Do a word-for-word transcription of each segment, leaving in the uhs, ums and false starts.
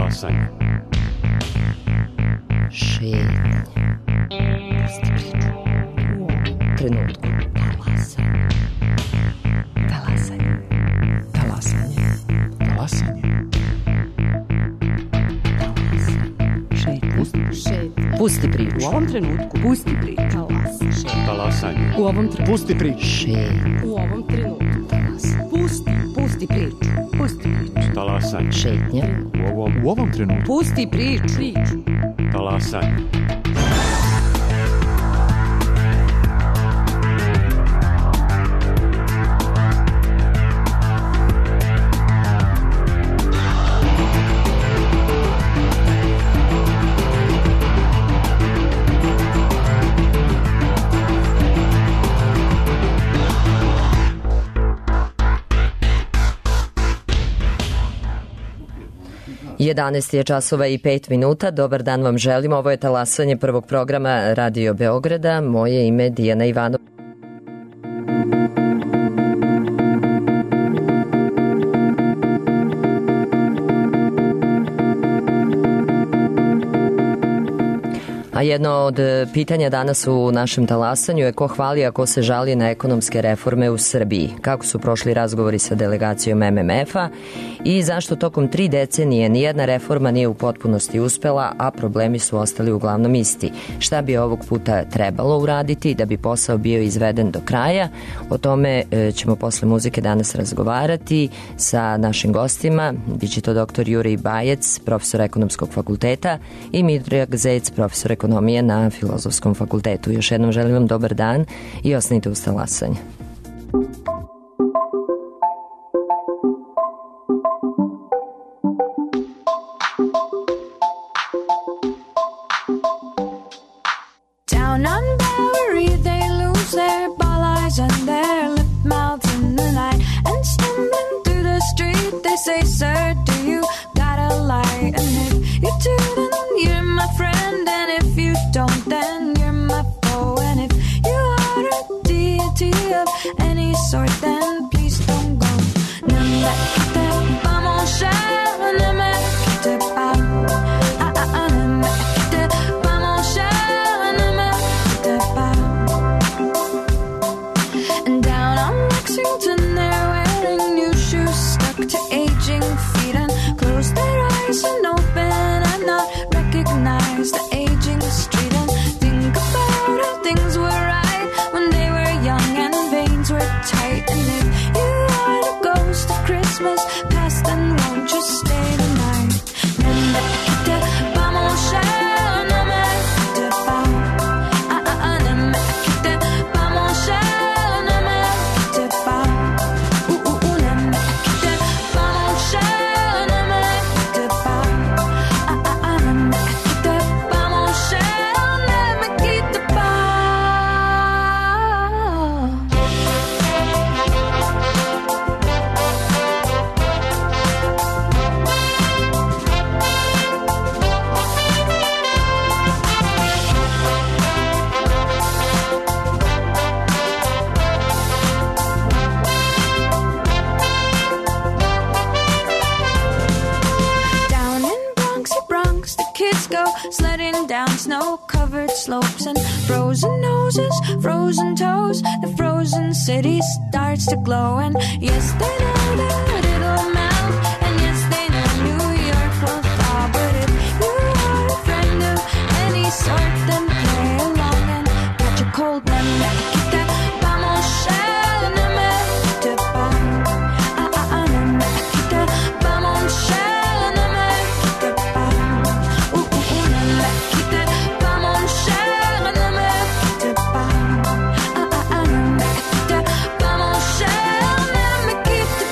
Talasanje. Šetnja. Pusti priču. Trenutku. Talasanje. Talasanje. Talasanje. Pusti priču. U ovom trenutku. Pusti priču. Talasanje. U ovom trenutku. Pusti priču. Šetnja. U ovom trenutku. Talasanje. Pusti. Pusti priču. Pusti priču. Talasanje. Šetnja. U ovom, U ovom trenutku. Pusti priču. Priču. talasanje. jedanaest je časova i pet minuta. Dobar dan vam želimo. Ovo je talasanje prvog programa Radio Beograda. Moje ime je Dijana Ivanov. A jedno od pitanja danas u našem talasanju je ko hvali, a ko se žali na ekonomske reforme u Srbiji. Kako su prošli razgovori sa delegacijom M M F-a i zašto tokom tri decenije nijedna reforma nije u potpunosti uspela, a problemi su ostali uglavnom isti. Šta bi ovog puta trebalo uraditi da bi posao bio izveden do kraja? O tome ćemo posle muzike danas razgovarati sa našim gostima. Biće to doktor Jurij Bajec, profesor ekonomskog fakulteta, i Miodrag Zec, profesor ekonomije na Filozofskom fakultetu. Još jednom želim vam dobar dan i ostanite uz talasanje. Down on Bowery they lose their ball eyes and their lip mouths in the night, and stumbling through the street they say, sir, do you got a light? And if you do, then you're my friend, and if you don't, then you're my foe. And if you are a deity of any sort, then please don't go. Ne me quitte pas mon cher, ne me quitte pas. Ah ah ah, ne me quitte pas mon cher, ne me quitte pas. And down on Lexington they're wearing new shoes stuck to aging feet, and close their eyes and open and not recognize the aging street, and think about how things were right when they were young and veins were tight. And if you are the ghost of Christmas past, then won't you stay the night? Ne me quitte pas mon cher, ne me quitte pas. Ah ah ah, ne me quitte pas mon cher, ne me quitte pas. Ouh ouh ouh, ne me quitte pas mon cher, ne me quitte pas. Ah ah ah, ne me quitte pas mon cher, ne me quitte pas. Down in Bronxy Bronx, the kids go sledding down snow-covered slopes, and frozen noses, frozen toes, the frozen city starts to glow. And yes, they know that it'll melt, and yes, they know New York will thaw. But if you are a friend of any sort, then play along and catch a cold. Ne me quitte pas mon cher, ne me quitte pas. Ah ah ah, ne me quitte pas mon cher, ne me quitte pas. Ouh ouh ouh, ne me quitte pas mon cher, ne me quitte pas. Ah ah ah, ne me quitte pas mon cher, ne me quitte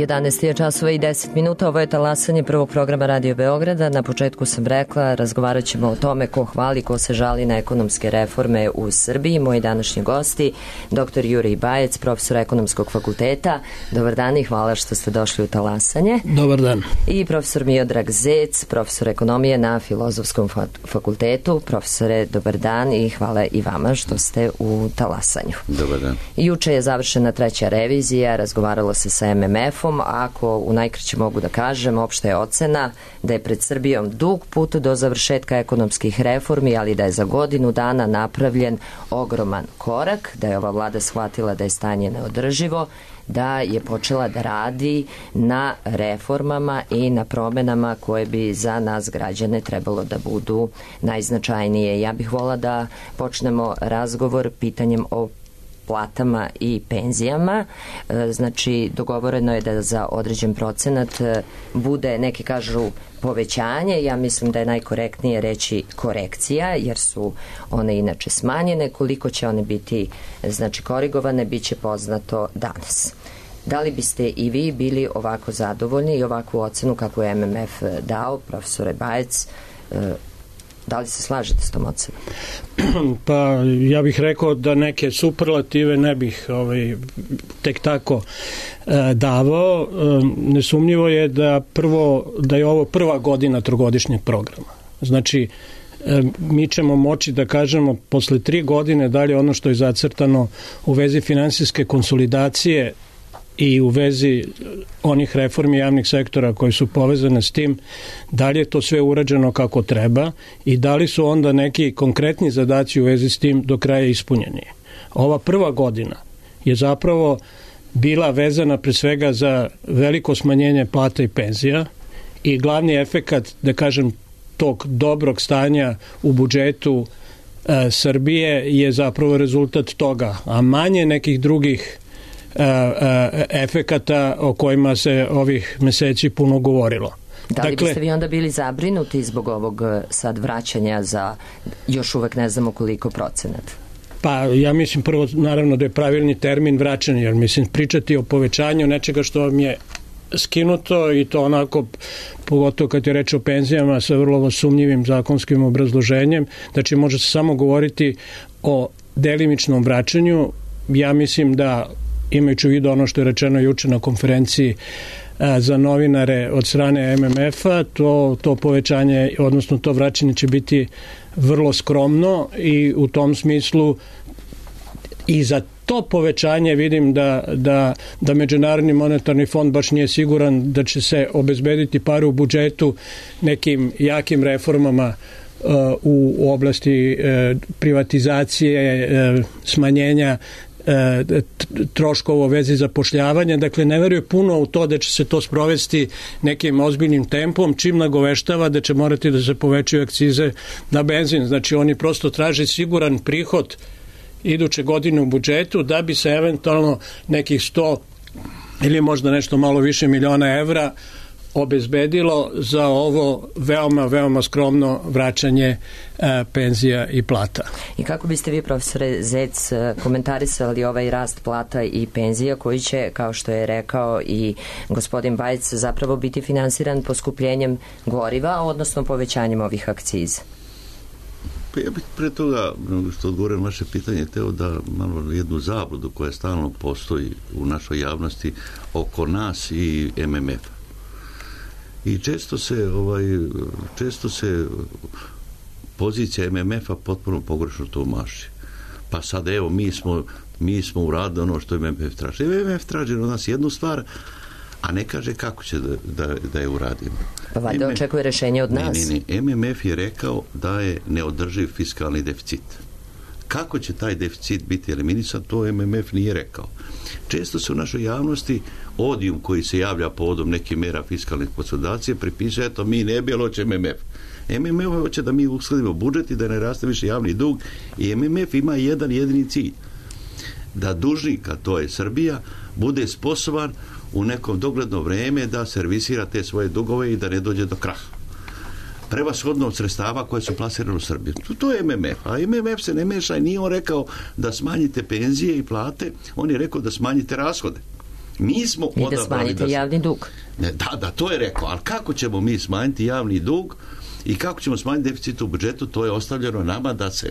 jedanaest je časova i deset minuta, ovo je talasanje prvog programa Radio Beograda. Na početku sam rekla, razgovarat ćemo o tome ko hvali, ko se žali na ekonomske reforme u Srbiji. Moji današnji gosti, doktor Jurij Bajec, profesor ekonomskog fakulteta. Dobar dan i hvala što ste došli u talasanje. Dobar dan. I profesor Miodrag Zec, profesor ekonomije na Filozofskom fakultetu. Profesore, dobar dan i hvala i vama što ste u talasanju. Dobar dan. Juče je završena treća revizija, razgovaralo se sa em em efom, ako u najkraće mogu da kažem, opšta je ocena da je pred Srbijom dug put do završetka ekonomskih reformi, ali da je za godinu dana napravljen ogroman korak, da je ova vlada shvatila da je stanje neodrživo, da je počela da radi na reformama i na promenama koje bi za nas građane trebalo da budu najznačajnije. Ja bih volila da počnemo razgovor pitanjem o platama i penzijama. Znači, dogovoreno je da za određen procenat bude, neki kažu, povećanje. Ja mislim da je najkorektnije reći korekcija, jer su one inače smanjene. Koliko će one biti, znači, korigovane, bit će poznato danas. Da li biste i vi bili ovako zadovoljni i ovakvu ocenu kako je em em ef dao, profesore Bajec? Da li se slažete s tom ocenom? Pa ja bih rekao da neke superlative ne bih ovaj, tek tako e, davao. E, nesumnjivo je da prvo da je ovo prva godina trogodišnjeg programa. Znači, e, mi ćemo moći da kažemo posle tri godine da li ono što je zacrtano u vezi finansijske konsolidacije i u vezi onih reformi javnih sektora koji su povezane s tim, da li je to sve urađeno kako treba i da li su onda neki konkretni zadaci u vezi s tim do kraja ispunjeni. Ova prva godina je zapravo bila vezana pre svega za veliko smanjenje plata i penzija i glavni efekat, da kažem, tog dobrog stanja u budžetu e, Srbije je zapravo rezultat toga, a manje nekih drugih efekata o kojima se ovih meseci puno govorilo. Da li dakle, biste vi onda bili zabrinuti zbog ovog sad vraćanja za još uvek ne znamo koliko procenat? Pa ja mislim prvo naravno da je pravilni termin vraćanje, jer mislim pričati o povećanju nečega što vam je skinuto i to onako, pogotovo kad je reč o penzijama sa vrlo sumnjivim zakonskim obrazloženjem, znači može se samo govoriti o delimičnom vraćanju. Ja mislim da, imajući u vidu ono što je rečeno juče na konferenciji a, za novinare od strane em em efa, to, to povećanje, odnosno to vraćanje će biti vrlo skromno i u tom smislu i za to povećanje vidim da, da, da Međunarodni monetarni fond baš nije siguran da će se obezbediti pare u budžetu nekim jakim reformama uh, u, u oblasti uh, privatizacije, uh, smanjenja troškova u vezi zapošljavanja. Dakle, ne veruje puno u to da će se to sprovesti nekim ozbiljnim tempom, čim nagoveštava da će morati da se povećaju akcize na benzin. Znači, oni prosto traže siguran prihod iduće godine u budžetu da bi se eventualno nekih sto ili možda nešto malo više miliona evra obezbedilo za ovo veoma, veoma skromno vraćanje e, penzija i plata. I kako biste vi, profesore Zec, komentarisali ovaj rast plata i penzija koji će, kao što je rekao i gospodin Bajec, zapravo biti finansiran poskupljenjem goriva, odnosno povećanjem ovih akciza? Pa ja bih pre toga, što odgovorim vaše pitanje, teo da malo jednu zabludu koja stalno postoji u našoj javnosti oko nas i em em efa. I često se ovaj često se pozicija em em efa potpuno pogrešno tumači. Pa sad evo mi smo mi smo uradili ono što em em ef traži. em em ef traži od nas jednu stvar, a ne kaže kako će da, da, da je uradimo. Pa valjda očekuje rešenje od nas. Ne, ne, ne. em em ef je rekao da je neodrživ fiskalni deficit. Kako će taj deficit biti eliminisan, to em em ef nije rekao. Često se u našoj javnosti odijum koji se javlja povodom nekih mera fiskalne konsolidacije pripiše, eto, mi ne bi, ali hoće em em ef. em em ef hoće da mi uskladimo budžet i da ne raste više javni dug i em em ef ima jedan jedini cilj. Da dužnika, to je Srbija, bude sposoban u nekom dogledno vreme da servisira te svoje dugove i da ne dođe do kraha. Prevashodno od sredstava koje su plasirane u Srbiji. To je em em ef. A em em ef se ne meša i nije on rekao da smanjite penzije i plate, on je rekao da smanjite rashode. Mi smo I da odabrali smanjite da... javni dug. Ne, da, da, to je rekao, ali kako ćemo mi smanjiti javni dug i kako ćemo smanjiti deficit u budžetu, to je ostavljeno nama da se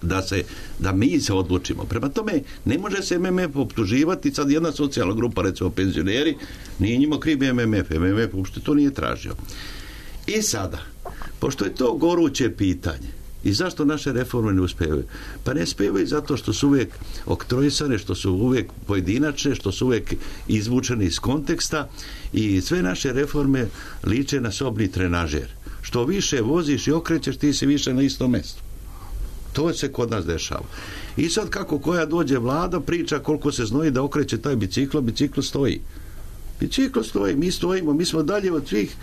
da se, da mi se odlučimo. Prema tome, ne može se M M F optuživati, sad jedna socijalna grupa, recimo penzioneri, nije njima kriv M M F, M M F uopšte to nije tražio. I sada, pošto je to goruće pitanje, i zašto naše reforme ne uspevaju? Pa ne uspevaju zato što su uvijek oktroisane, što su uvijek pojedinačne, što su uvijek izvučene iz konteksta i sve naše reforme liče na sobni trenažer. Što više voziš i okrećeš, ti si više na istom mjestu. To se kod nas dešava. I sad kako koja dođe vlada, priča koliko se znoji da okreće taj biciklo, biciklo stoji. Biciklo stoji, mi stojimo, mi smo dalje od svih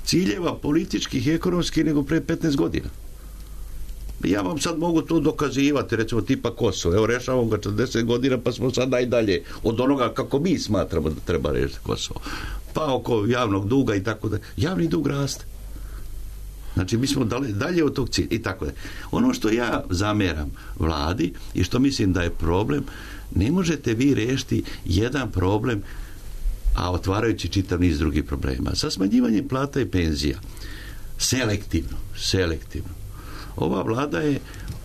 ciljeva političkih i ekonomskih nego pre petnaest godina. Ja vam sad mogu to dokazivati, recimo tipa Kosovo. Evo, rešavamo ga četrdeset godina, pa smo sad najdalje od onoga kako mi smatramo da treba rešiti Kosovo. Pa oko javnog duga i tako da. Javni dug raste. Znači, mi smo dalje, dalje od tog cilja i tako da. Ono što ja zameram vladi i što mislim da je problem, ne možete vi rešiti jedan problem, a otvarajući čitav niz drugih problema. Sa smanjivanjem plata i penzija, selektivno, selektivno. Ova vlada je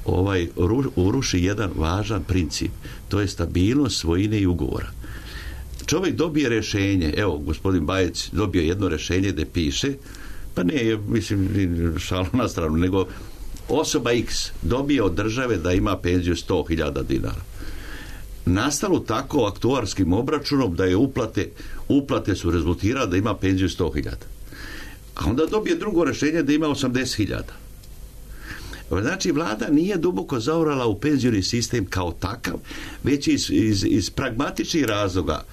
ovaj, uruši jedan važan princip, to je stabilnost svojine i ugovora. Čovjek dobije rješenje, evo, gospodin Bajec dobio jedno rješenje gdje piše, pa ne, mislim, šalu na stranu, nego osoba X dobije od države da ima penziju sto hiljada dinara. Nastalo tako aktuarskim obračunom da je uplate, uplate su rezultirale da ima penziju sto hiljada. A onda dobije drugo rješenje da ima osamdeset hiljada. Znači, vlada nije duboko zaorala u penzioni sistem kao takav, već iz, iz, iz pragmatičnih razloga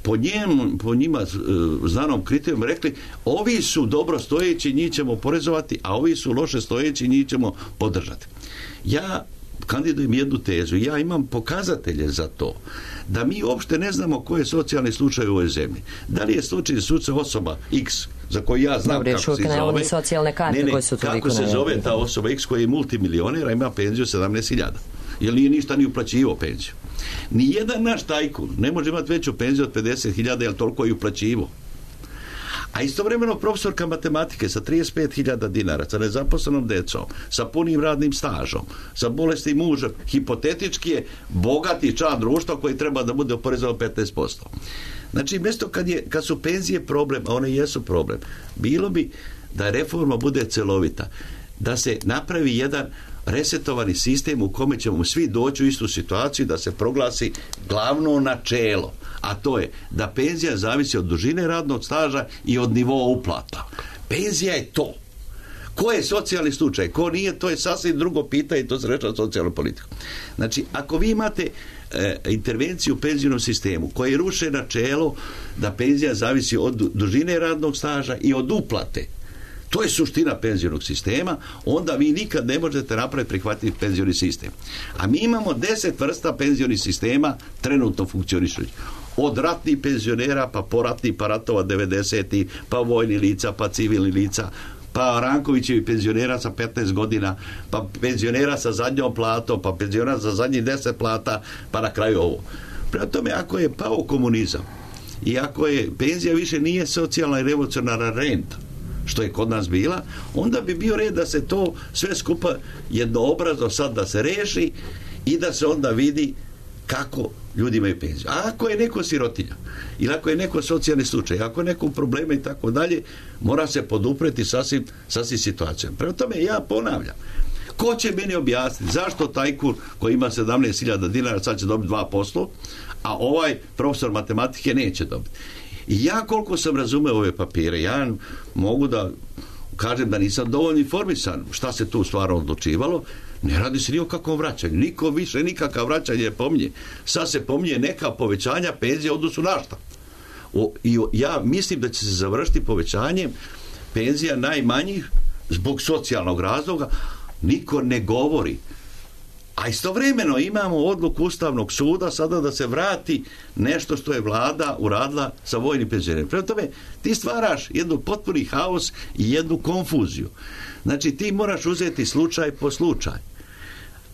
po, njem, po njima znanom kriterijom rekli, ovi su dobro stojeći, njih ćemo porezovati, a ovi su loše stojeći, njih ćemo podržati. Ja kandidujem jednu tezu, ja imam pokazatelje za to, da mi uopšte ne znamo koji je socijalni slučaj u ovoj zemlji. Da li je slučaj slučaj osoba X, za koju ja znam Dobre, kako se zove, socijalne karte ne, ne, koje su kako se zove ta osoba X koja je multimilioner, a ima penziju sedamnaest hiljada. Jer nije ništa ni uplaćivo penziju. Nijedan naš tajkun ne može imati veću penziju od pedeset hiljada, jer toliko je uplaćivo. A istovremeno profesorka matematike sa trideset pet hiljada dinara, sa nezaposlenom decom, sa punim radnim stažom, sa bolesti muža, hipotetički je bogati član društva koji treba da bude oporezovan petnaest posto. Znači, mjesto kad, je, kad su penzije problem, a one jesu problem, bilo bi da reforma bude celovita, da se napravi jedan resetovani sistem u kome ćemo svi doći u istu situaciju, da se proglasi glavno načelo, a to je da penzija zavisi od dužine radnog staža i od nivoa uplata. Penzija je to. Ko je socijalni slučaj, ko nije, to je sasvim drugo pitanje i to se rešava socijalnu politiku. Znači, ako vi imate e, intervenciju u penzijnom sistemu koji ruše načelo da penzija zavisi od dužine radnog staža i od uplate, to je suština penzionog sistema, onda vi nikad ne možete napraviti prihvatiti penzioni sistem. A mi imamo deset vrsta penzionih sistema trenutno funkcionišući. Od ratnih penzionera, pa poratnih, pa ratova devedesetih, pa vojni lica, pa civilni lica, pa Rankovićevi penzionera sa petnaest godina, pa penzionera sa zadnjom platom, pa penzionera sa zadnjih deset plata, pa na kraju ovo. Prema tome, ako je pao komunizam i ako je penzija više nije socijalna i revolucionarna renta, što je kod nas bila, onda bi bio red da se to sve skupa jednoobrazno sad da se reši i da se onda vidi kako ljudi imaju penziju. A ako je neko sirotinja ili ako je neko socijalni slučaj, ako je neko problema i tako dalje, mora se podupreti sasvim, sasvim situacijom. Prema tome ja ponavljam, ko će meni objasniti zašto tajkun koji ima sedamnaest hiljada dinara sad će dobiti dva posto, a ovaj profesor matematike neće dobiti. I ja koliko sam razumeo ove papire, ja mogu da kažem da nisam dovoljno informisan šta se tu stvarno odlučivalo, ne radi se ni o kakvom vraćanju, niko više nikakav vraćanje pominje. Sad se pominje neka povećanja penzije u odnosu na šta. O, i o, ja mislim da će se završiti povećanjem penzija najmanjih zbog socijalnog razloga, niko ne govori. A istovremeno imamo odluku Ustavnog suda sada da se vrati nešto što je vlada uradila sa vojnim penzionerima. Prema tome, ti stvaraš jednu potpuni haos i jednu konfuziju. Znači, ti moraš uzeti slučaj po slučaj.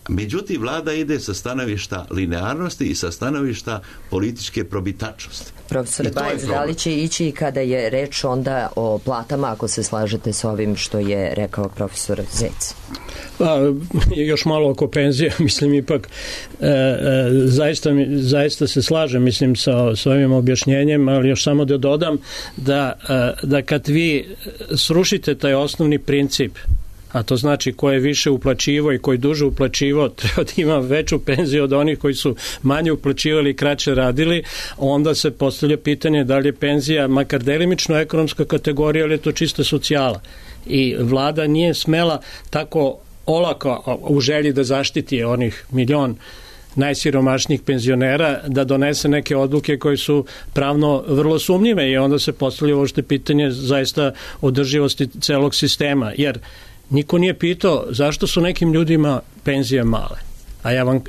Međutim, vlada ide sa stanovišta linearnosti i sa stanovišta političke probitačnosti. Profesor Bajić, da li će ići i kada je reč onda o platama, ako se slažete s ovim što je rekao profesor Zec? Pa, još malo oko penzije, mislim ipak e, e, zaista, zaista se slažem mislim sa, sa ovim objašnjenjem, ali još samo da dodam da, e, da kad vi srušite taj osnovni princip, a to znači ko je više uplaćivo i koji duže uplaćivo treba da ima veću penziju od onih koji su manje uplaćivali i kraće radili, onda se postavlja pitanje da li je penzija makar delimično ekonomska kategorija ili je to čista socijala. I vlada nije smela tako olako u želji da zaštiti onih milion najsiromašnijih penzionera da donese neke odluke koje su pravno vrlo sumnjive i onda se postavlja uopšte pitanje zaista održivosti celog sistema, jer niko nije pitao zašto su nekim ljudima penzije male. A ja vam,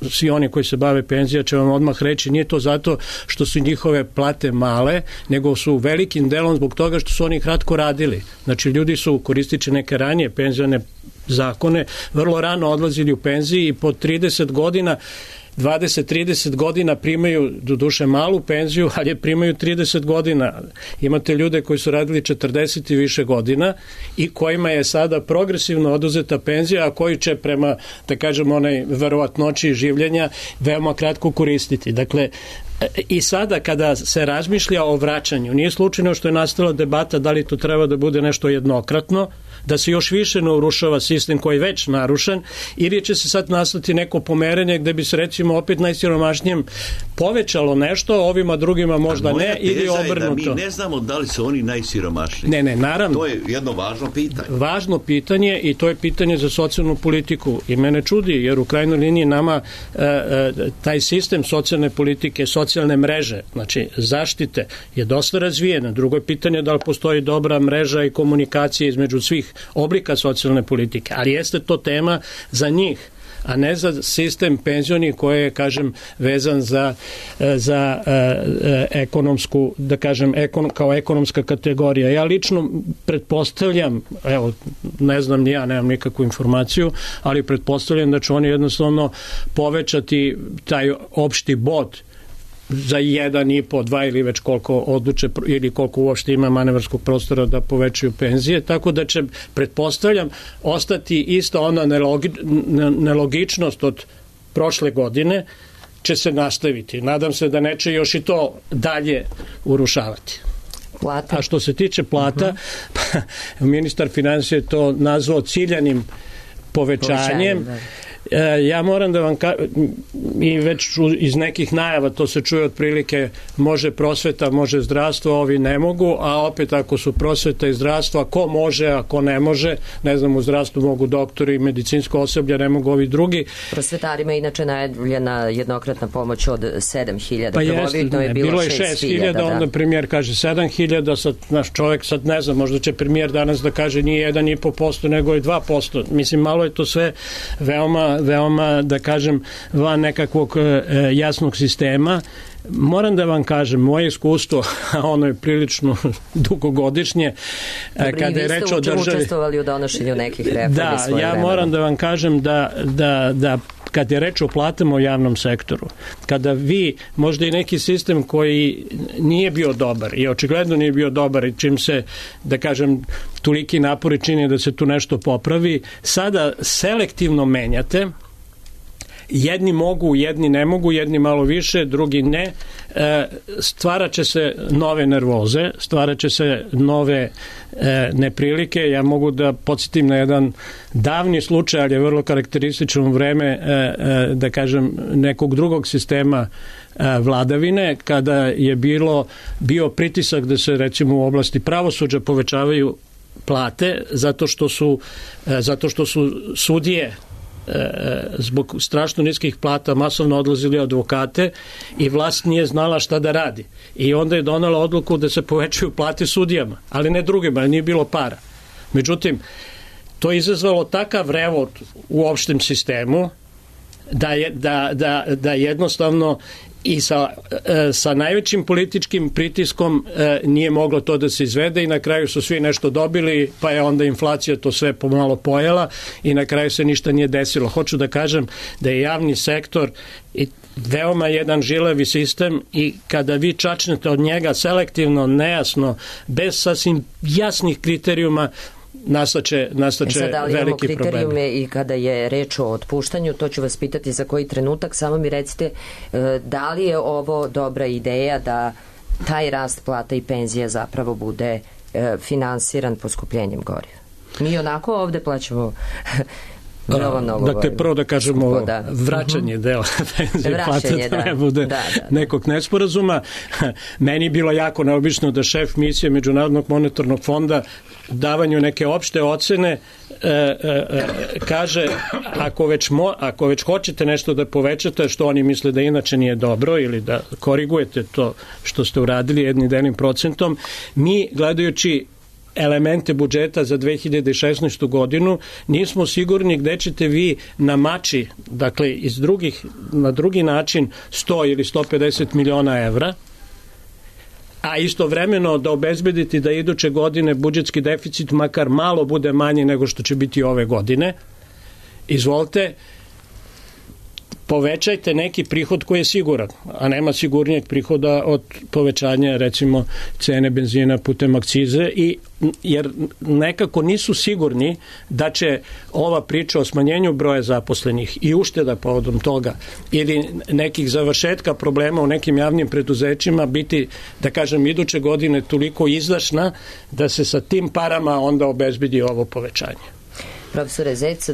svi oni koji se bave penzija će vam odmah reći, nije to zato što su njihove plate male, nego su velikim delom zbog toga što su oni kratko radili. Znači, ljudi su, koristići neke ranije penzione zakone, vrlo rano odlazili u penziji i po trideset godina dvadeset do trideset godina primaju do duše malu penziju, ali je primaju trideset godina. Imate ljude koji su radili četrdeset i više godina i kojima je sada progresivno oduzeta penzija, a koji će prema, da kažem, onaj verovatnoći življenja veoma kratko koristiti. Dakle, i sada kada se razmišlja o vraćanju, nije slučajno što je nastala debata da li to treba da bude nešto jednokratno, da se još više ne urušava sistem koji je već narušen, ili će se sad nastati neko pomeranje gde bi se recimo opet najsiromašnijem povećalo nešto, ovima drugima možda ne, ili obrnuto. Mi ne znamo da li su oni najsiromašniji. Ne, ne, naravno. To je jedno važno pitanje. Važno pitanje i to je pitanje za socijalnu politiku. I mene čudi, jer u krajnjoj liniji nama e, e, taj sistem socijalne politike, socijalne mreže, znači zaštite, je dosta razvijen. Drugo je pitanje da li postoji dobra mreža i komunikacija između svih oblika socijalne politike, ali jeste to tema za njih, a ne za sistem penzioni koji je, kažem, vezan za, za e, ekonomsku, da kažem, ekon, kao ekonomska kategorija. Ja lično pretpostavljam, evo, ne znam ni ja, nemam nikakvu informaciju, ali pretpostavljam da će oni jednostavno povećati taj opšti bod za jedan i po, dva ili već koliko odluče ili koliko uopšte ima manevarskog prostora da povećaju penzije, tako da će, pretpostavljam, ostati isto ona nelogi, nelogičnost od prošle godine će se nastaviti. Nadam se da neće još i to dalje urušavati. Plata. A što se tiče plata, uh-huh. pa, ministar finansija je to nazvao ciljanim povećanjem. Povećanjem, ja moram da vam kažem, i već iz nekih najava to se čuje otprilike, može prosveta, može zdravstvo, ovi ne mogu, a opet ako su prosveta i zdravstvo, ko može, a ko ne može, ne znam, u zdravstvu mogu doktori i medicinsko osoblje, ne mogu ovi drugi. Prosvetarima inače najavljena jednokratna pomoć od sedam hiljada. Pa jeste, je bilo, bilo je šest hiljada, onda premijer kaže sedam hiljada, sad naš čovjek sad ne znam, možda će premijer danas da kaže nije jedan i po posto, nego je dva posto. Mislim, malo je to sve veoma veoma, da kažem, van nekakvog e, jasnog sistema. Moram da vam kažem, moje iskustvo, a ono je prilično dugogodišnje, Dobri, kada je reč o državi... učestvovali u donošenju nekih reformi. Da, ja vremena. moram da vam kažem da, da, da kad je reč o platama u javnom sektoru, kada vi, možda i neki sistem koji nije bio dobar i očigledno nije bio dobar i čim se, da kažem, toliki napori čini da se tu nešto popravi, sada selektivno menjate, jedni mogu, jedni ne mogu, jedni malo više, drugi ne, e, stvarat će se nove nervoze, stvarat će se nove e, neprilike. Ja mogu da podsjetim na jedan davni slučaj, ali je vrlo karakteristično u vreme, e, e, da kažem, nekog drugog sistema e, vladavine, kada je bilo bio pritisak da se, recimo, u oblasti pravosuđa povećavaju plate, zato što su, e, zato što su sudije zbog strašno niskih plata masovno odlazili advokate i vlast nije znala šta da radi. I onda je donala odluku da se povećaju plate sudijama, ali ne drugima, nije bilo para. Međutim, to je izazvalo takav revot u opštem sistemu da, je, da, da, da jednostavno i sa, sa najvećim političkim pritiskom nije moglo to da se izvede i na kraju su svi nešto dobili, pa je onda inflacija to sve pomalo pojela i na kraju se ništa nije desilo. Hoću da kažem da je javni sektor i veoma jedan žilavi sistem i kada vi čačnete od njega selektivno, nejasno, bez sasvim jasnih kriterijuma, nastaće, nastaće e sad, ali veliki problemi. kriterijume i kada je reč o otpuštanju, to ću vas pitati za koji trenutak, samo mi recite da li je ovo dobra ideja da taj rast plata i penzija zapravo bude finansiran poskupljenjem goriva. Mi onako ovde plaćamo veoma mnogo goriva. Dakle, prvo da kažemo da. vraćanje uh-huh. dela penzije plate, da ne bude da, da, da. nekog nesporazuma. Meni je bilo jako neobično da šef misije Međunarodnog monetarnog fonda davanju neke opšte ocene e, e, kaže ako već, mo, ako već hoćete nešto da povećate što oni misle da inače nije dobro ili da korigujete to što ste uradili jednim delim procentom, mi gledajući elemente budžeta za dve hiljade šesnaestu godinu nismo sigurni gde ćete vi na mači, dakle iz drugih, na drugi način sto ili sto pedeset miliona evra, a istovremeno da obezbediti da iduće godine budžetski deficit makar malo bude manji nego što će biti ove godine. Izvolite, povećajte neki prihod koji je siguran, a nema sigurnijeg prihoda od povećanja recimo cene benzina putem akcize, i jer nekako nisu sigurni da će ova priča o smanjenju broja zaposlenih i ušteda povodom toga ili nekih završetka problema u nekim javnim preduzećima biti, da kažem, iduće godine toliko izdašna da se sa tim parama onda obezbedi ovo povećanje. Profesore Zec,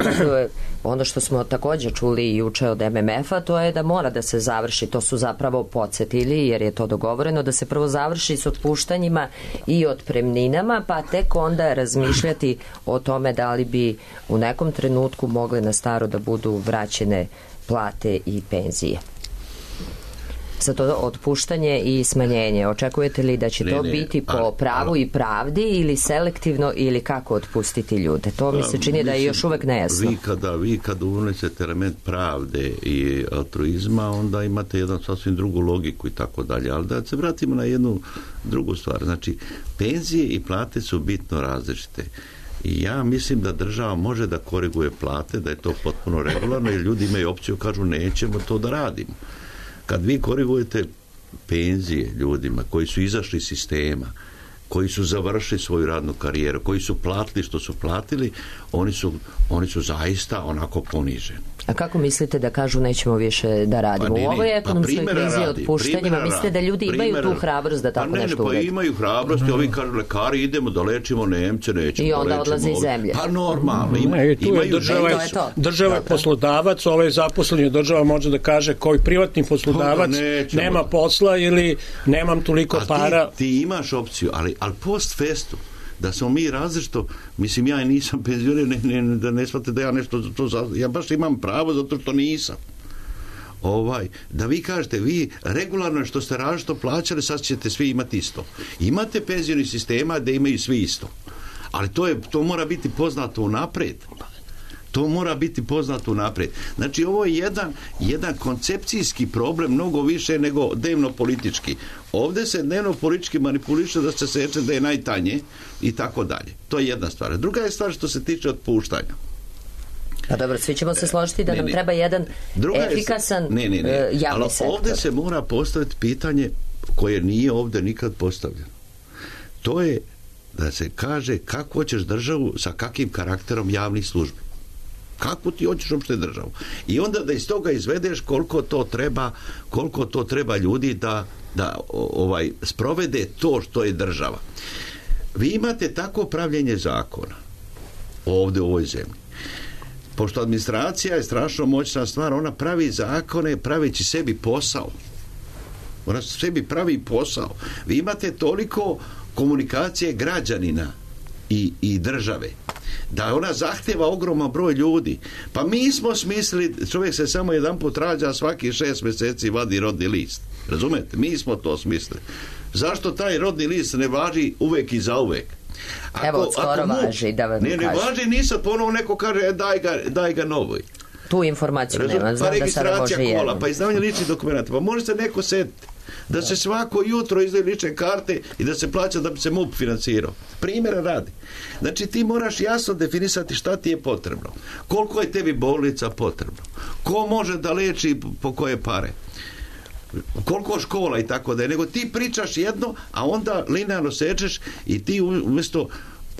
ono što smo također čuli juče od em em efa, to je da mora da se završi, to su zapravo podsjetili jer je to dogovoreno, da se prvo završi s otpuštanjima i otpremninama, pa tek onda razmišljati o tome da li bi u nekom trenutku mogle na staro da budu vraćene plate i penzije. Za to otpuštanje i smanjenje, očekujete li da će ne, to ne, biti po ali, pravu ali, i pravdi ili selektivno ili kako otpustiti ljude? To mi se čini mislim, da je još uvek nejasno. Vi kada, vi kada unesete element pravde i altruizma, onda imate jednu sasvim drugu logiku i tako dalje. Ali da se vratimo na jednu drugu stvar. Znači, penzije i plate su bitno različite. I ja mislim da država može da koriguje plate, da je to potpuno regularno, jer ljudi imaju opciju, kažu nećemo to da radimo. Kad vi korigujete penzije ljudima koji su izašli iz sistema, koji su završili svoju radnu karijeru, koji su platili što su platili, oni su, oni su zaista onako poniženi. A kako mislite da kažu nećemo više da radimo? Pa, ne, ne, u ovoj ekonomskoj pa krizi otpuštanjima mislite da ljudi imaju primjera, tu hrabrost da tako pa ne, nešto urede? Pa imaju hrabrost i ovi kažu lekari idemo da lečimo Nemce, nećemo i da onda lečimo odlaze iz zemlje. Pa normalno. Ima, ne, tu je država, je država je poslodavac, ovaj zaposleni država može da kaže koji privatni poslodavac nema posla ili nemam toliko a para. Ti, ti imaš opciju, ali, ali post festu da smo mi različito, mislim ja nisam penzioner, ne, ne, da ne shvate da ja nešto to, ja baš imam pravo zato što nisam. Ovaj, da vi kažete, vi regularno što ste različito plaćali, sad ćete svi imati isto. Imate penzioni sistema da imaju svi isto. Ali to, je, to mora biti poznato unaprijed. To mora biti poznato unaprijed. Znači, ovo je jedan, jedan koncepcijski problem, mnogo više nego dnevno politički. Ovdje se dnevno politički manipuliše da se seče da je najtanje i tako dalje. To je jedna stvar. Druga je stvar što se tiče otpuštanja. Pa dobro, svi ćemo se složiti da ne, nam ne. treba jedan Druga efikasan je, ne, ne, ne. javni Ali sektor. Ovdje se mora postaviti pitanje koje nije ovdje nikad postavljeno. To je da se kaže kako hoćeš državu sa kakvim karakterom javnih službi. Kako ti hoćeš uopšte državu? I onda da iz toga izvedeš koliko to treba, koliko to treba ljudi da, da ovaj sprovede to što je država. Vi imate tako pravljenje zakona ovdje u ovoj zemlji. Pošto administracija je strašno moćna stvar, ona pravi zakone praveći sebi posao. Ona sebi pravi posao. Vi imate toliko komunikacije građanina i, i države da ona zahtjeva ogroman broj ljudi. Pa mi smo smislili, čovjek se samo jedan put rađa, svaki šest mjeseci vadi rodni list. Razumete? Mi smo to smislili. Zašto taj rodni list ne važi uvek i za uvek? Ako, Evo, skoro mu, važi, da vam ne, ne važi, nisam ponovo neko kaže, daj ga, daj ga novoj. tu informaciju Razum, nema. Znam pa da sada može registracija kola, jedno. pa izdavanje ličnih dokumenta, pa može se neko setiti da se svako jutro izdaju lične karte i da se plaća da bi se M U P finansirao. Primjera radi. Znači ti moraš jasno definisati šta ti je potrebno. Koliko je tebi bolnica potrebno. Ko može da leči po koje pare. Koliko škola i tako da je. Nego ti pričaš jedno, a onda linearno sečeš i ti umjesto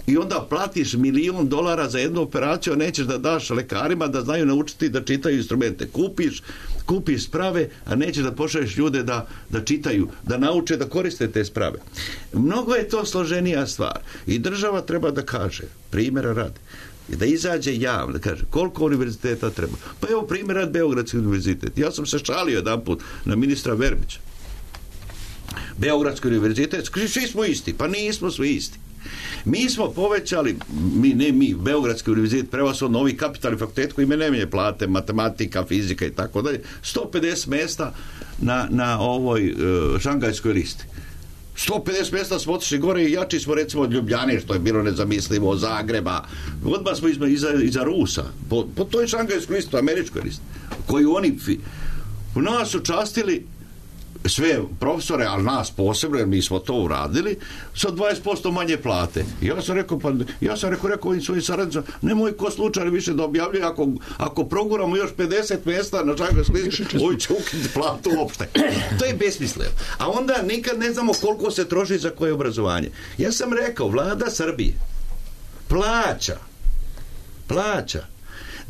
i onda platiš milion dolara za jednu operaciju, a nećeš da daš lekarima da znaju naučiti da čitaju instrumente. Kupiš, kupiš sprave, a nećeš da pošalješ ljude da, da čitaju, da nauče da koriste te sprave. Mnogo je to složenija stvar. I država treba da kaže, primjera radi, da izađe javno, da kaže koliko univerziteta treba. Pa evo primjer rad Beogradski univerzitet. Ja sam se šalio jedan put na ministra Verbića. Beogradski univerzitet, svi smo isti. Pa nismo svi isti. Mi smo povećali, mi, ne mi, Beogradski univerzitet, prevashodno ovi kapitalni fakultet koji ima najmanje plate, matematika, fizika i tako dalje, sto pedeset mjesta na, na ovoj uh, šangajskoj listi. sto pedeset mjesta smo otišli gore i jači smo recimo od Ljubljane, što je bilo nezamislivo, od Zagreba. Odmah smo iza, iza, iza Rusa, po, po toj šangajskoj listi, američkoj listi, koju oni fi, u nas su častili sve profesore, ali nas posebno, jer mi smo to uradili, sa dvadeset posto manje plate. I ja sam rekao, pa, ja sam rekao, rekao ovim svojim saradnicama, nemoj ko slučajno više da objavljuje, ako, ako proguramo još pedeset mjesta na šangajskoj listi, ovi će ukinuti platu uopšte. To je besmisleno. A onda nikad ne znamo koliko se troši za koje obrazovanje. Ja sam rekao, vlada Srbije plaća, plaća,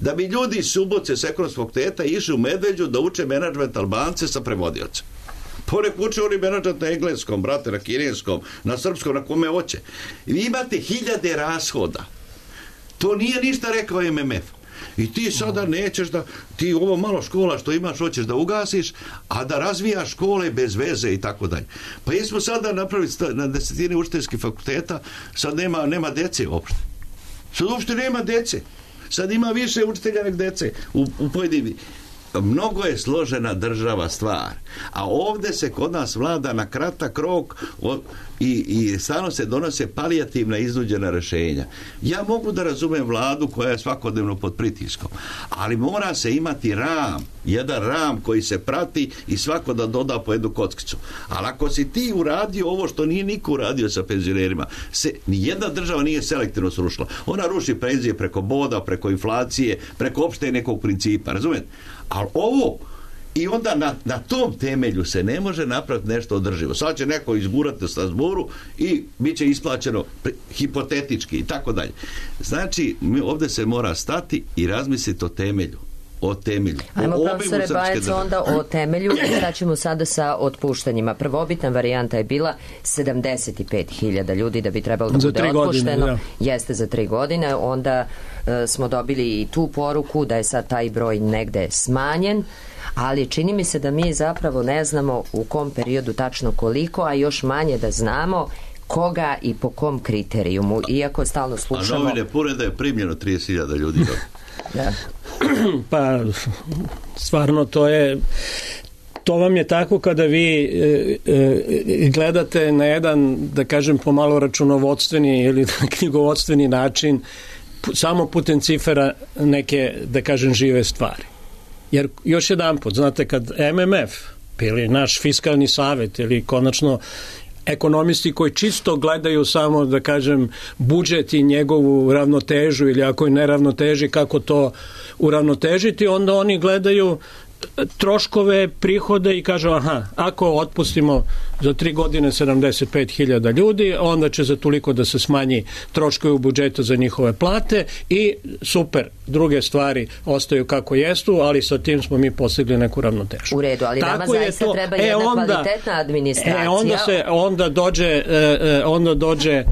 da bi ljudi iz Subotice s ekonomskog fakulteta išli u Medveđu da uče menadžment Albance sa prevodiocem. Ponek uče oni menadžment na engleskom, brate, na kineskom, na srpskom, na kome hoće. Vi imate hiljade rashoda. To nije ništa rekao M M F. I ti sada nećeš da, ti ovo malo škola što imaš hoćeš da ugasiš, a da razvijaš škole bez veze i tako dalje. Pa jesmo sada napravili na desetine učiteljskih fakulteta, sad nema, nema dece uopšte. Sad uopšte nema dece. Sad ima više učitelja nek dece u, u pojedinim. Mnogo je složena država stvar, a ovdje se kod nas vlada na kratak rok o, i, i stvarno se donose palijativna iznuđena rješenja. Ja mogu da razumem vladu koja je svakodnevno pod pritiskom, ali mora se imati ram, jedan ram koji se prati i svako da doda po jednu kockicu. Ali ako si ti uradio ovo što nije niko uradio sa penzionerima, se, nijedna država nije selektivno srušila. Ona ruši penzije preko boda, preko inflacije, preko opšte nekog principa, razumijete? Ali ovo, i onda na, na tom temelju se ne može napraviti nešto održivo. Sad će neko izgurati na zboru i bit će isplaćeno hipotetički i tako dalje. Znači, mi ovdje se mora stati i razmisliti o temelju. O temelju. Ajmo, profesore Bajec, onda o temelju. Šta ćemo sada sa otpuštanjima? Prvobitna varijanta je bila sedamdeset pet hiljada ljudi da bi trebalo da bude otpušteno. Godine, Jeste za tri godine. Onda e, smo dobili i tu poruku da je sad taj broj negde smanjen, ali čini mi se da mi zapravo ne znamo u kom periodu tačno koliko, a još manje da znamo koga i po kom kriterijumu, iako stalno slušamo... A novine pune da je primljeno trideset hiljada ljudi. Da. Pa stvarno to je to vam je tako kada vi e, e, gledate na jedan, da kažem, pomalo računovodstveni ili knjigovodstveni način p- samo putem cifera neke, da kažem, žive stvari. Jer još jedan put, znate, kad M M F ili naš fiskalni savjet ili konačno ekonomisti koji čisto gledaju samo, da kažem, budžet i njegovu ravnotežu ili ako je neravnoteži kako to uravnotežiti, onda oni gledaju troškove, prihode i kažu aha, ako otpustimo za tri godine sedamdeset pet hiljada ljudi, onda će za toliko da se smanji troškovi u budžetu za njihove plate i super, druge stvari ostaju kako jestu, ali sa tim smo mi postigli neku ravnotežu. U redu, ali tako nama zaista to, treba jedna e, onda, kvalitetna administracija. E, onda se onda dođe e, onda dođe e,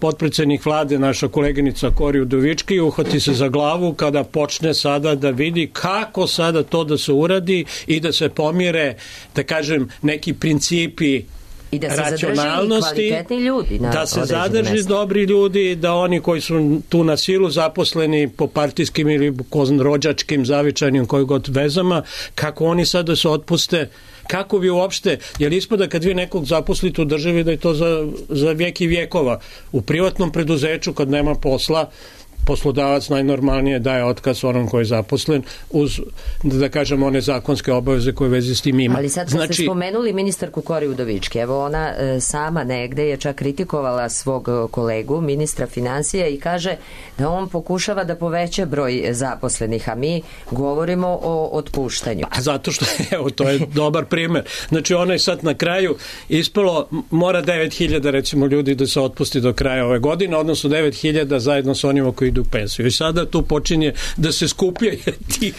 potpredsjednik vlade, naša koleginica Kori Udovički, i uhvati se za glavu kada počne sada da vidi kako sada to da se uradi i da se pomire, da kažem, neki principi i da se racionalnosti, ljudi da se zadrži mesta. Dobri ljudi, da oni koji su tu na silu zaposleni po partijskim ili rođačkim, zavičajnim, koji god vezama, kako oni sada se otpuste, kako vi uopšte, jer ispada kad vi nekog zaposlite u državi da je to za, za vijek i vjekova. U privatnom preduzeću kad nema posla, poslodavac najnormalnije daje otkaz onom koji je zaposlen uz, da kažem, one zakonske obaveze koje veze s tim ima. Ali sad znači, ste spomenuli ministarku Kori Udovički, evo ona e, sama negde je čak kritikovala svog kolegu, ministra financija, i kaže da on pokušava da poveća broj zaposlenih, a mi govorimo o otpuštanju. A zato što, evo, to je dobar primer. Znači, ona je sad na kraju ispalo, mora devet hiljada recimo ljudi da se otpusti do kraja ove godine, odnosno devet hiljada zajedno sa onima koji idu u pensiju. I sada tu počinje da se skupljaju tih,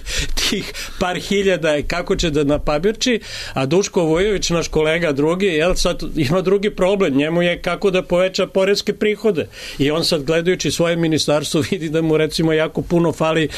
tih par hiljada i kako će da napabirči, a Duško Vujović, naš kolega drugi, jel, sad ima drugi problem, njemu je kako da poveća poreske prihode. I on sad, gledajući svoje ministarstvo, vidi da mu recimo jako puno fali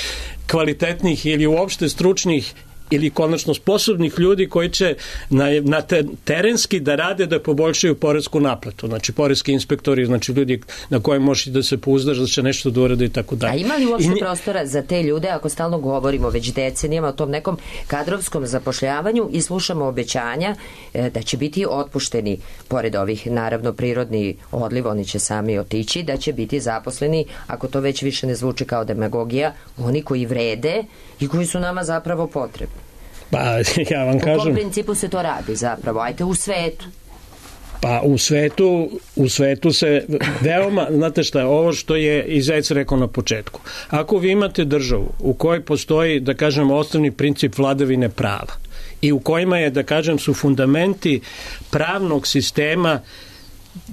kvalitetnih ili uopšte stručnih ili konačno sposobnih ljudi koji će na, na te, terenski da rade da poboljšaju poresku naplatu. Znači, poreski inspektori, znači ljudi na koje možeš da se pouzdaš da će nešto da urade i tako dalje. A ima li uopšte I, prostora za te ljude, ako stalno govorimo već decenijama o tom nekom kadrovskom zapošljavanju i slušamo obećanja e, da će biti otpušteni, pored ovih, naravno, prirodni odliv, oni će sami otići, da će biti zaposleni, ako to već više ne zvuči kao demagogija, oni koji vrede i koji su nama zapravo potrebni. Pa, ja vam kažem... U kom principu se to radi zapravo? Ajte u svetu. Pa u svetu, u svetu se veoma, znate šta, ovo što je i Zec rekao na početku. Ako vi imate državu u kojoj postoji, da kažem, osnovni princip vladavine prava i u kojima je, da kažem, su fundamenti pravnog sistema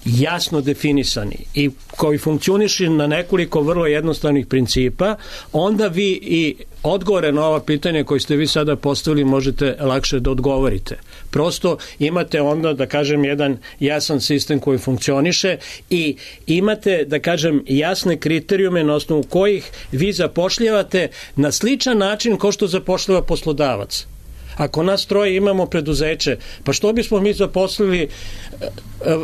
jasno definisani i koji funkcioniše na nekoliko vrlo jednostavnih principa, onda vi i odgovore na ova pitanja koje ste vi sada postavili možete lakše da odgovorite. Prosto imate onda, da kažem, jedan jasan sistem koji funkcioniše i imate, da kažem, jasne kriterijume na osnovu kojih vi zapošljavate na sličan način kao što zapošljava poslodavac. Ako nas troje imamo preduzeće, pa što bismo mi zaposlili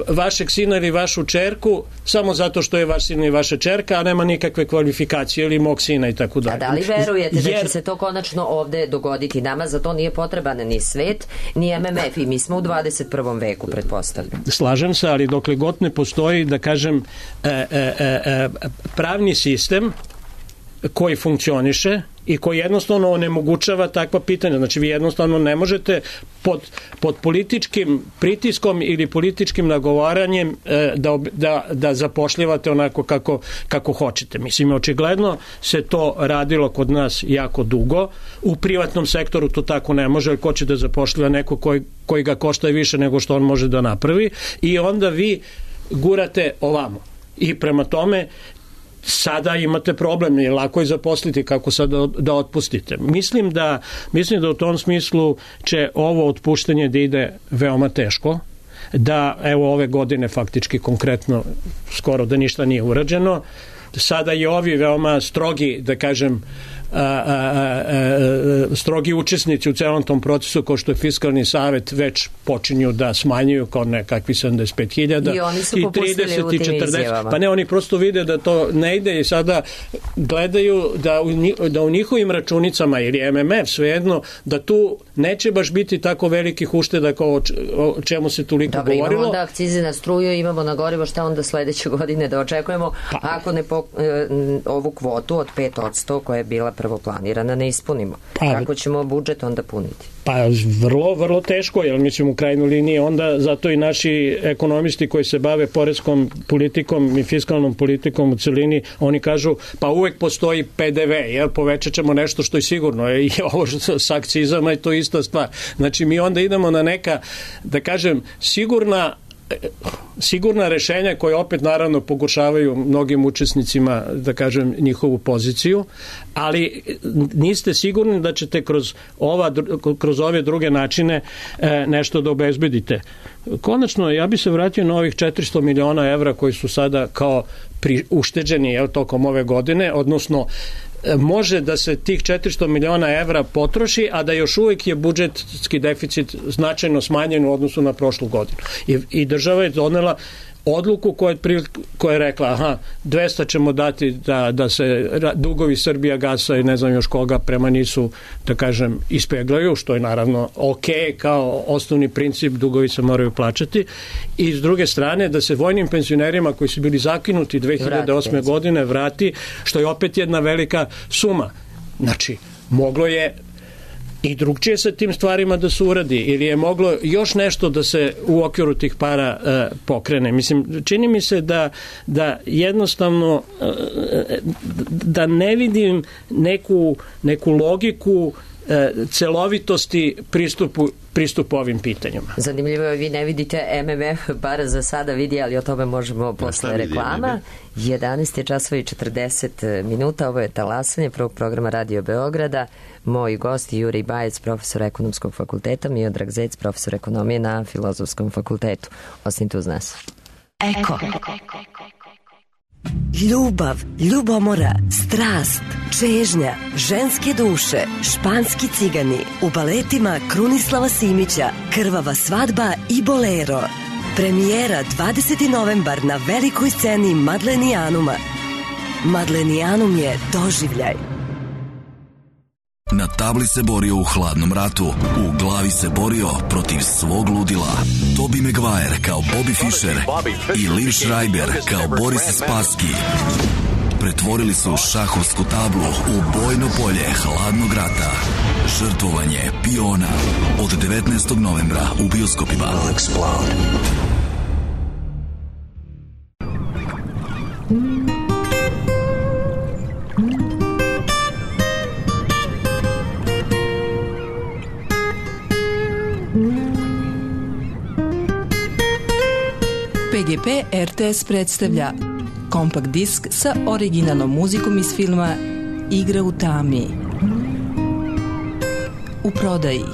vašeg sina ili vašu čerku samo zato što je vaš sin i vaša čerka, a nema nikakve kvalifikacije, ili mog sina i tako dalje. A da li verujete da Jer... će se to konačno ovde dogoditi? Nama za to nije potreban ni svet, ni M M F, i mi smo u dvadeset prvom veku, pretpostavljam. Slažem se, ali dokle god ne postoji, da kažem, e, e, e, pravni sistem koji funkcioniše i koji jednostavno onemogućava takva pitanja. Znači, vi jednostavno ne možete pod, pod političkim pritiskom ili političkim nagovaranjem e, da, da, da zapošljavate onako kako, kako hoćete. Mislim, očigledno se to radilo kod nas jako dugo. U privatnom sektoru to tako ne može, jer ko će da zapošljiva neko koji, koji ga košta više nego što on može da napravi, i onda vi gurate ovamo. I prema tome sada imate problem, je lako je zaposliti, kako sad da, da otpustite. Mislim da, mislim da u tom smislu će ovo otpuštanje da ide veoma teško, da evo ove godine faktički konkretno skoro da ništa nije urađeno. Sada i ovi veoma strogi, da kažem, a, a, a, a, strogi učesnici u celom tom procesu, kao što je Fiskalni savet, već počinju da smanjuju kao nekakvi sedamdeset pet hiljada i oni su popustili u tim izjavama. Pa ne, oni prosto vide da to ne ide i sada gledaju da u, da u njihovim računicama ili M M F svejedno, da tu neće baš biti tako velikih ušteda kao o čemu se toliko Dobre, govorilo. Imamo onda akcize na struju, imamo na gorivo, šta onda sledeće godine da očekujemo, pa, ako ne po, e, ovu kvotu od pet posto koja je bila prvo planirana ne ispunimo. Pa, kako ćemo budžet onda puniti? Pa vrlo, vrlo teško, jer mislim u krajnjoj liniji onda zato i naši ekonomisti koji se bave poreskom politikom i fiskalnom politikom u celini, oni kažu pa uvek postoji P D V, jer povećat ćemo nešto što je sigurno, i ovo s akcizama je to ista stvar. Znači mi onda idemo na neka, da kažem, sigurna sigurna rešenja koje opet naravno pogoršavaju mnogim učesnicima, da kažem, njihovu poziciju, ali niste sigurni da ćete kroz, ova, kroz ove druge načine e, nešto da obezbedite. Konačno, ja bi se vratio na ovih četiristo miliona evra koji su sada kao pri, ušteđeni jel, tokom ove godine, odnosno može da se tih četiristo miliona evra potroši, a da još uvijek je budžetski deficit značajno smanjen u odnosu na prošlu godinu. I, i država je donela odluku koja, koja je rekla aha, dvesta ćemo dati da, da se dugovi Srbija gasa i ne znam još koga prema nisu, da kažem, ispeglaju, što je naravno ok, kao osnovni princip, dugovi se moraju plaćati, i s druge strane da se vojnim penzionerima koji su bili zakinuti dve hiljade osme godine vrati, što je opet jedna velika suma. Znači, moglo je i drugčije sa tim stvarima da se uradi, ili je moglo još nešto da se u okviru tih para e, pokrene. Mislim, čini mi se da, da jednostavno e, da ne vidim neku, neku logiku e, celovitosti pristupu pristupu ovim pitanjima. Zanimljivo je, vi ne vidite M M F, bar za sada vidi, ali o tome možemo posle reklama. jedanaest je časova i četrdeset minuta, ovo je talasanje prvog programa Radio Beograda. Moj gost je Jurij Bajec, profesor ekonomskog fakulteta, Miodrag Zec, profesor ekonomije na Filozofskom fakultetu. Ostanite uz nas. Eko. Ljubav, ljubomora, strast, čežnja, ženske duše, španski cigani, u baletima Krunislava Simića, Krvava svadba i Bolero. Premijera dvadesetog novembar na velikoj sceni Madlenijanuma. Madlenijanum je doživljaj. Na tabli se borio u hladnom ratu, u glavi se borio protiv svog ludila. Tobey Maguire kao Bobby Fischer i Liv Schreiber kao Boris Spassky pretvorili su šahovsku tablu u bojno polje hladnog rata. Žrtvovanje piona od devetnaestog novembra u bioskopima. P G P R T S predstavlja kompakt disk sa originalnom muzikom iz filma Igra u tami. U prodaji.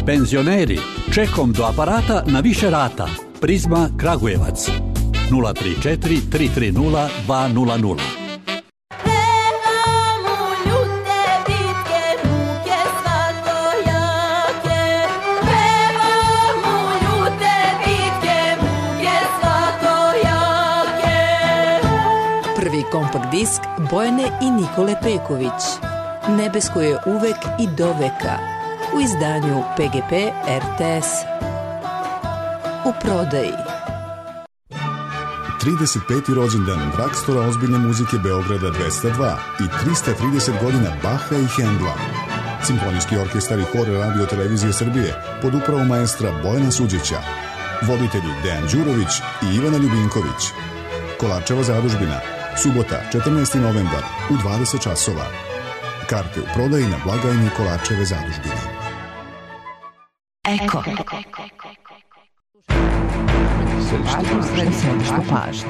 Penzioneri, čekom do aparata na više rata. Prizma Kragujevac. nula tri četiri tri tri nula dva nula nula. Kompakt disk Bojane i Nikole Peković. Nebesko je uvek i do veka. U izdanju P G P R T S. U prodaji. trideset peti rođendan Dragstora ozbiljne muzike Beograda dvesta dva i trista trideset godina Baha i Hendla. Simfonijski orkestar i hor Radio Televizije Srbije pod upravom maestra Bojana Suđića. Voditelji Dejan Đurović i Ivana Ljubinković. Kolarčeva zadužbina. Subota, četrnaesti novembar u dvadeset časova. Karte u prodaji na blagajni Kolarčeve zadužbine. Eko. Središte pažnje.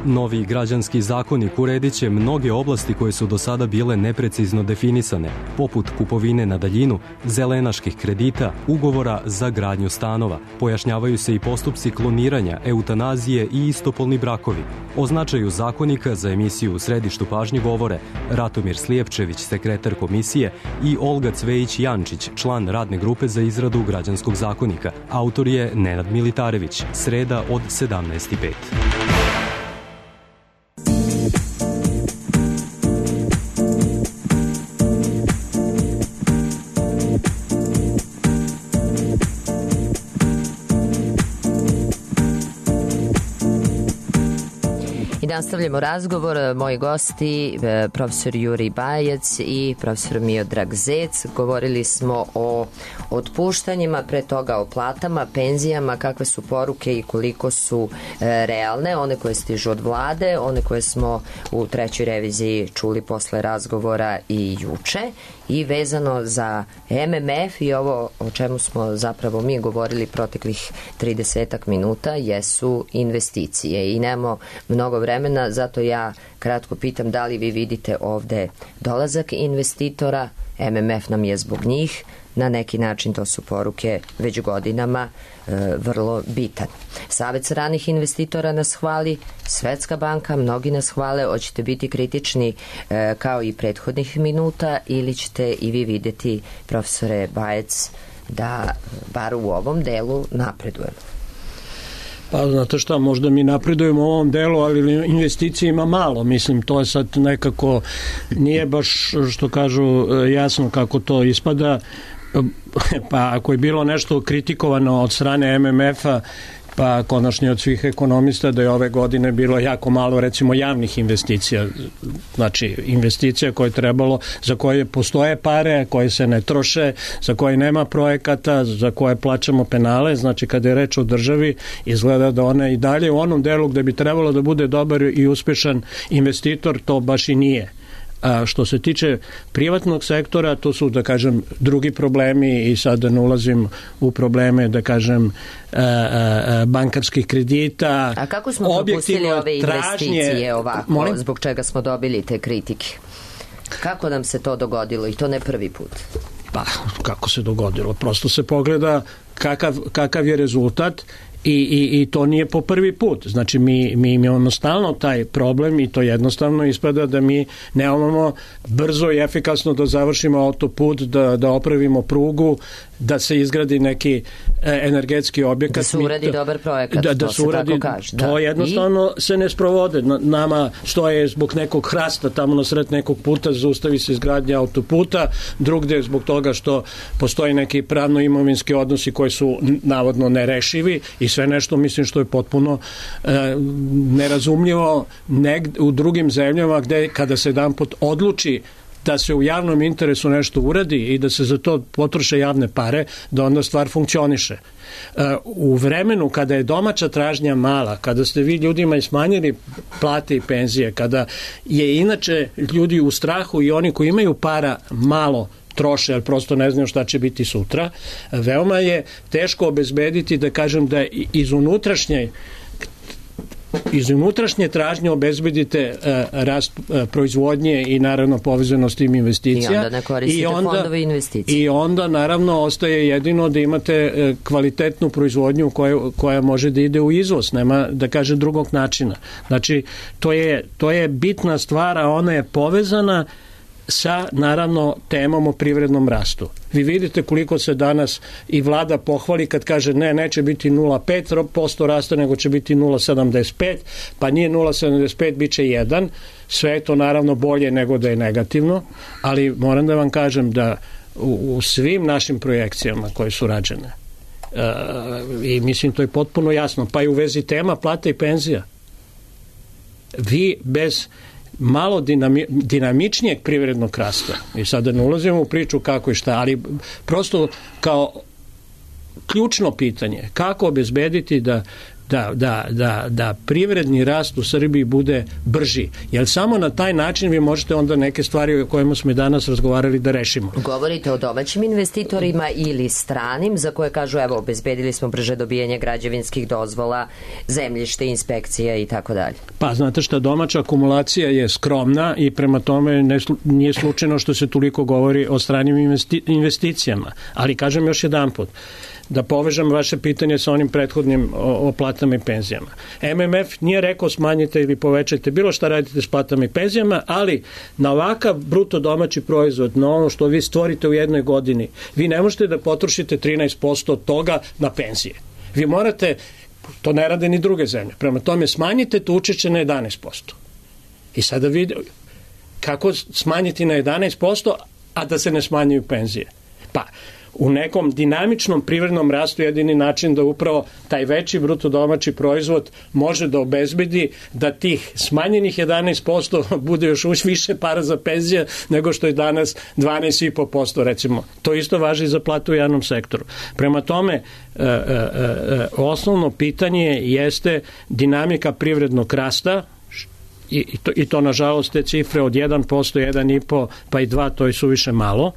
Novi građanski zakonik uredit će mnoge oblasti koje su do sada bile neprecizno definisane, poput kupovine na daljinu, zelenaških kredita, ugovora za gradnju stanova. Pojašnjavaju se i postupci kloniranja, eutanazije i istopolni brakovi. O značaju zakonika za emisiju U središtu pažnje govore Ratomir Slijepčević, sekretar komisije, i Olga Cvejić-Jančić, član radne grupe za izradu građanskog zakonika. Autor je Nenad Militarević. Sreda od sedamnaest i pet. Nastavljamo razgovor. Moji gosti, profesor Jurij Bajec i profesor Miodrag Zec. Govorili smo o otpuštanjima, pre toga o platama, penzijama, kakve su poruke i koliko su e, realne, one koje stižu od vlade, one koje smo u trećoj reviziji čuli posle razgovora i juče. I vezano za M M F i ovo o čemu smo zapravo mi govorili proteklih tridesetak minuta jesu investicije i nemamo mnogo vremena, zato ja kratko pitam da li vi vidite ovde dolazak investitora. M M F nam je zbog njih, na neki način to su poruke već godinama e, vrlo bitan. Savet stranih investitora nas hvali, Svetska banka, mnogi nas hvale. Hoćete biti kritični e, kao i prethodnih minuta ili ćete i vi vidjeti, profesore Bajec, da bar u ovom delu napredujemo? Pa znate šta, možda mi napredujemo u ovom delu, ali investicije ima malo, mislim, to je sad nekako, nije baš, što kažu, jasno kako to ispada, pa ako je bilo nešto kritikovano od strane M M F-a, pa konačno od svih ekonomista, da je ove godine bilo jako malo, recimo, javnih investicija, znači investicija koje je trebalo, za koje postoje pare, koje se ne troše, za koje nema projekata, za koje plaćamo penale, znači kada je reč o državi, izgleda da one i dalje u onom delu gde bi trebalo da bude dobar i uspešan investitor, to baš i nije. A što se tiče privatnog sektora, to su, da kažem, drugi problemi i sad da ne ulazim u probleme, da kažem, bankarskih kredita. A kako smo propustili ove investicije ovako, molim? Zbog čega smo dobili te kritike? Kako nam se to dogodilo i to ne prvi put? Pa, kako se dogodilo? Prosto se pogleda kakav, kakav je rezultat I, i, i to nije po prvi put. Znači mi, mi imamo stalno taj problem i to jednostavno ispada da mi nemamo brzo i efikasno da završimo autoput, da, da opravimo prugu, da se izgradi neki e, energetski objekat. Da se uradi dobar projekat, da, da to se uradi, tako kaže. Da. To jednostavno I? se ne sprovode. Nama stoje zbog nekog hrasta tamo na sred nekog puta, zaustavi se izgradnja autoputa, drugde zbog toga što postoji neki pravno-imovinski odnosi koji su navodno nerešivi i sve nešto, mislim, što je potpuno e, nerazumljivo negde, u drugim zemljama gde kada se jedan put odluči da se u javnom interesu nešto uradi i da se za to potroše javne pare, da onda stvar funkcioniše. U vremenu kada je domaća tražnja mala, kada ste vi ljudima smanjili plate i penzije, kada je inače ljudi u strahu i oni koji imaju para malo troše, jer prosto ne znaju šta će biti sutra, veoma je teško obezbediti, da kažem, da iz unutrašnje iz unutrašnje tražnje obezbedite uh, rast uh, proizvodnje i naravno povezanost tim investicija. I onda ne koristite I onda, fondove investicije. I onda naravno ostaje jedino da imate uh, kvalitetnu proizvodnju koja, koja može da ide u izvoz, nema, da kažem, drugog načina. Znači, to je, to je bitna stvar, a ona je povezana sa, naravno, temom o privrednom rastu. Vi vidite koliko se danas i vlada pohvali kad kaže ne, neće biti nula zarez pet posto rasta, nego će biti nula zarez sedamdeset pet, pa nije nula zarez sedamdeset pet, bit će jedan. Sve je to naravno bolje nego da je negativno, ali moram da vam kažem da u, u svim našim projekcijama koje su rađene, uh, i mislim to je potpuno jasno, pa i u vezi tema plata i penzija, vi bez malo dinami, dinamičnijeg privrednog rasta, i sada ne ulazimo u priču kako i šta, ali prosto kao ključno pitanje, kako obezbediti da Da, da, da, da privredni rast u Srbiji bude brži. Jer samo na taj način vi možete onda neke stvari o kojima smo i danas razgovarali da rešimo. Govorite o domaćim investitorima ili stranim za koje kažu evo obezbedili smo brže dobijanje građevinskih dozvola, zemljište, inspekcija i tako dalje. Pa znate šta, domaća akumulacija je skromna i prema tome ne, nije slučajno što se toliko govori o stranim investi, investicijama. Ali kažem još jedan put, da povežem vaše pitanje sa onim prethodnim o, o platama i penzijama. M M F nije rekao smanjite ili povećajte bilo šta radite s platama i penzijama, ali na ovakav bruto domaći proizvod, na ono što vi stvorite u jednoj godini, vi ne možete da potrošite trinaest posto toga na penzije. Vi morate, to ne rade ni druge zemlje, prema tome smanjite to učešće na jedanaest posto. I sada vidite kako smanjiti na jedanaest posto, a da se ne smanjuju penzije. Pa, u nekom dinamičnom privrednom rastu jedini način da upravo taj veći bruto domaći proizvod može da obezbedi da tih smanjenih jedanaest posto bude još više para za penzije nego što je danas dvanaest zarez pet posto recimo. To isto važi za platu u javnom sektoru. Prema tome, e, e, e, osnovno pitanje jeste dinamika privrednog rasta, i to, i to nažalost te cifre od jedan posto, jedan zarez pet pa i dva, to je suviše malo.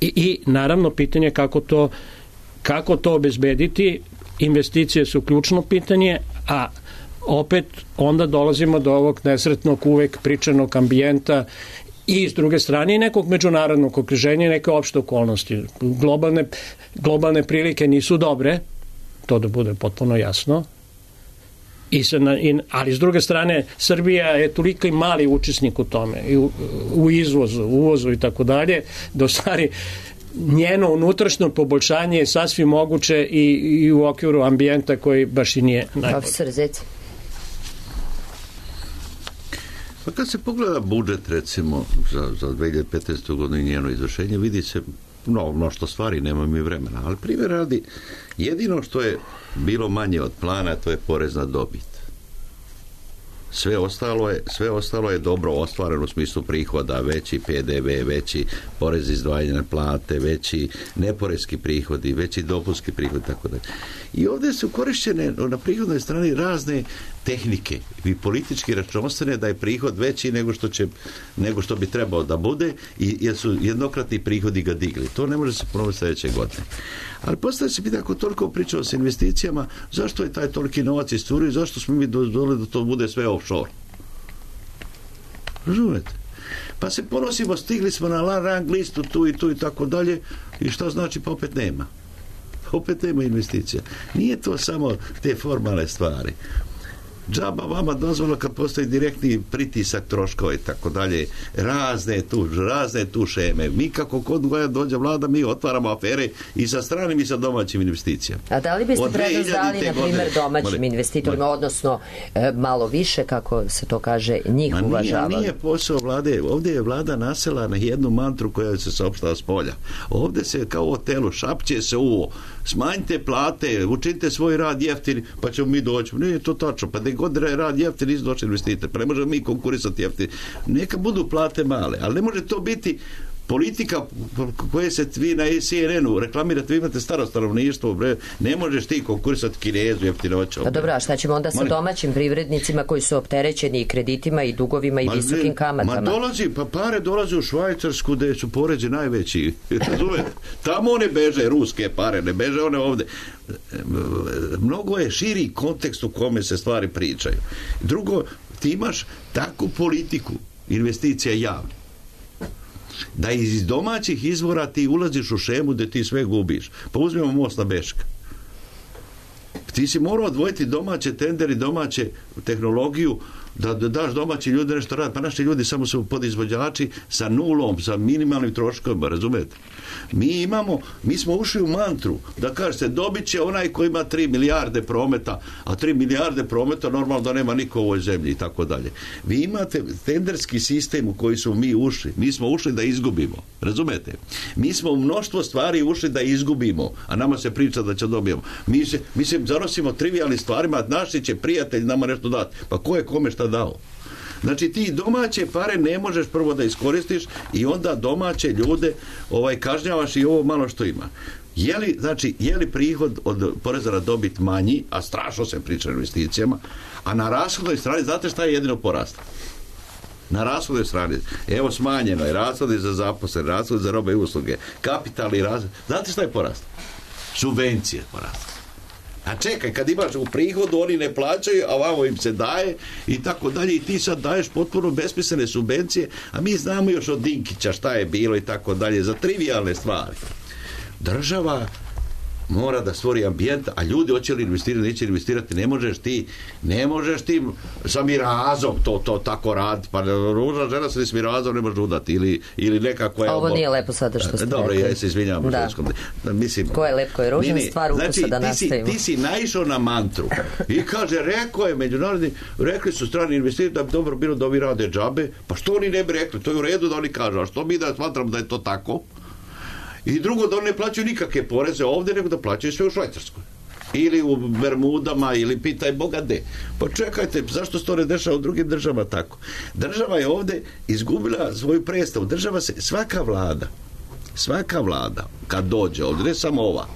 I, i naravno pitanje kako to, kako to obezbediti. Investicije su ključno pitanje, a opet onda dolazimo do ovog nesretnog uvek pričanog ambijenta i s druge strane i nekog međunarodnog okruženja i neke opšte okolnosti. Globalne, globalne prilike nisu dobre, to da bude potpuno jasno. I se na, i, ali s druge strane Srbija je toliko i mali učesnik u tome i u, u izvozu, uvozu i tako dalje, da u stvari njeno unutrašnjo poboljšanje je sasvim moguće i, i u okviru ambijenta koji baš i nije najbolji. Profesor Zec. Pa kad se pogleda budžet, recimo, za, za dve hiljade petnaestu. godinu i njeno izvršenje, vidi se no, mnošto stvari, nema mi vremena. Ali primjer radi, jedino što je bilo manje od plana, to je porez na dobit. Sve ostalo je, sve ostalo je dobro ostvareno u smislu prihoda, veći P D V, veći porez izdvajanja na plate, veći neporezki prihodi, veći dopunski prihod, tako da. I ovdje su korišćene na prihodnoj strani razne tehnike i politički računovodstvene da je prihod veći nego što će, nego što bi trebao da bude i jer su jednokratni prihodi ga digli. To ne može se ponoviti sljedeće godine. Ali postavlja se pitanje, ako toliko pričao s investicijama, zašto je taj toliki novac isturio i zašto smo mi dozvolili da to bude sve offshore? Razumete? Pa se ponosimo, stigli smo na rang listu tu i tu i tako dalje i šta znači, pa opet nema. Opet nema investicija. Nije to samo te formalne stvari. Džaba vama dozvola kad postoji direktni pritisak troškova i tako dalje, razne tu, razne tu šeme. Mi kako kod koja dođe vlada, mi otvaramo afere i sa stranim i sa domaćim investicijama. A da li biste prednost dali, na primjer, domaćim mali, investitorima, mali. odnosno e, malo više, kako se to kaže, njih Ma uvažavali? Nije, nije posao vlade. Ovdje je vlada nasela na jednu mantru koja se saopštava s polja. Ovdje se kao o telu šapće se uvo. Smanjite plate, učinite svoj rad jeftin, pa ćemo mi doći. Nije to tačno, pa da god rad jeftin nisu došli investitor, pa ne možemo mi konkurisati jeftin. Neka budu plate male, ali ne može to biti politika koje se vi na C N N-u reklamirate, vi imate staro stanovništvo, bre, ne možeš ti konkurisati Kinezu jeftinoćom. Pa dobro, a šta ćemo onda sa Mali... domaćim privrednicima koji su opterećeni i kreditima i dugovima i ma, visokim kamatama? Ma dolazi, pa pare dolaze u Švajcarsku gde su porezi najveći. Tamo one beže, ruske pare, ne beže one ovde. Mnogo je širi kontekst u kome se stvari pričaju. Drugo, ti imaš takvu politiku investicija javne da iz domaćih izvora ti ulaziš u šemu gdje ti sve gubiš. Pa uzmemo most na Beška. Ti si morao odvojiti domaće tenderi, domaće tehnologiju, da, da daš domaći ljudi nešto rad. Pa naši ljudi samo su podizvođači sa nulom, sa minimalnim troškovima, razumete? Mi imamo, mi smo ušli u mantru da kažete, dobit će onaj koji ima tri milijarde prometa, a tri milijarde prometa normalno da nema niko u ovoj zemlji i tako dalje. Vi imate tenderski sistem u koji smo mi ušli. Mi smo ušli da izgubimo, razumete? Mi smo u mnoštvo stvari ušli da izgubimo, a nama se priča da će dobijemo. Mi se, mi se zanosimo trivijalnim stvarima, naši će prijatelj nama nešto dati. Pa ko je kome šta dao? Znači ti domaće pare ne možeš prvo da iskoristiš i onda domaće ljude ovaj kažnjavaš i ovo malo što ima. Je li, znači, je li prihod od poreza na dobit manji, a strašno se priča o investicijama, a na rashodnoj strani, znate šta je jedino porasta? Na rashodnoj strani, evo smanjeno je rashodi za zaposlene, rashodi za robe i usluge, kapitalni rashod. Znate šta je porast? Subvencije porasta. A čekaj, kad imaš u prihodu, oni ne plaćaju, a vamo im se daje i tako dalje i ti sad daješ potpuno besmislene subvencije, a mi znamo još od Dinkića šta je bilo i tako dalje, za trivijalne stvari. Država mora da stvori ambijent, a ljudi hoće li investirati, neće investirati, ne možeš ti, ne možeš ti sa mirazom to, to tako raditi, pa ružna žena se s mirazom ne može udati, ili, ili nekako je... Ovo nije lepo sada što ste dobro, rekli. ja se izvinjavam. Da. Da, mislim, ko je lep, ko je ružan, ne, stvar ukusa znači, da ti nastavimo. Si, ti si naišao na mantru i kaže, rekao je međunarodni, rekli su strani investitori da bi dobro bilo da ovi rade džabe, pa što oni ne bi rekli, to je u redu da oni kažu, a što mi da smatramo da je to tako? I drugo, da oni ne plaćaju nikakve poreze ovdje, nego da plaćaju sve u Švajcarskoj. Ili u Bermudama, ili pitaj Boga gde. Pa čekajte, zašto se to ne dešava u drugim državama tako? Država je ovdje izgubila svoju predstavu. Država se, svaka vlada, svaka vlada, kad dođe ovdje, ne samo ova,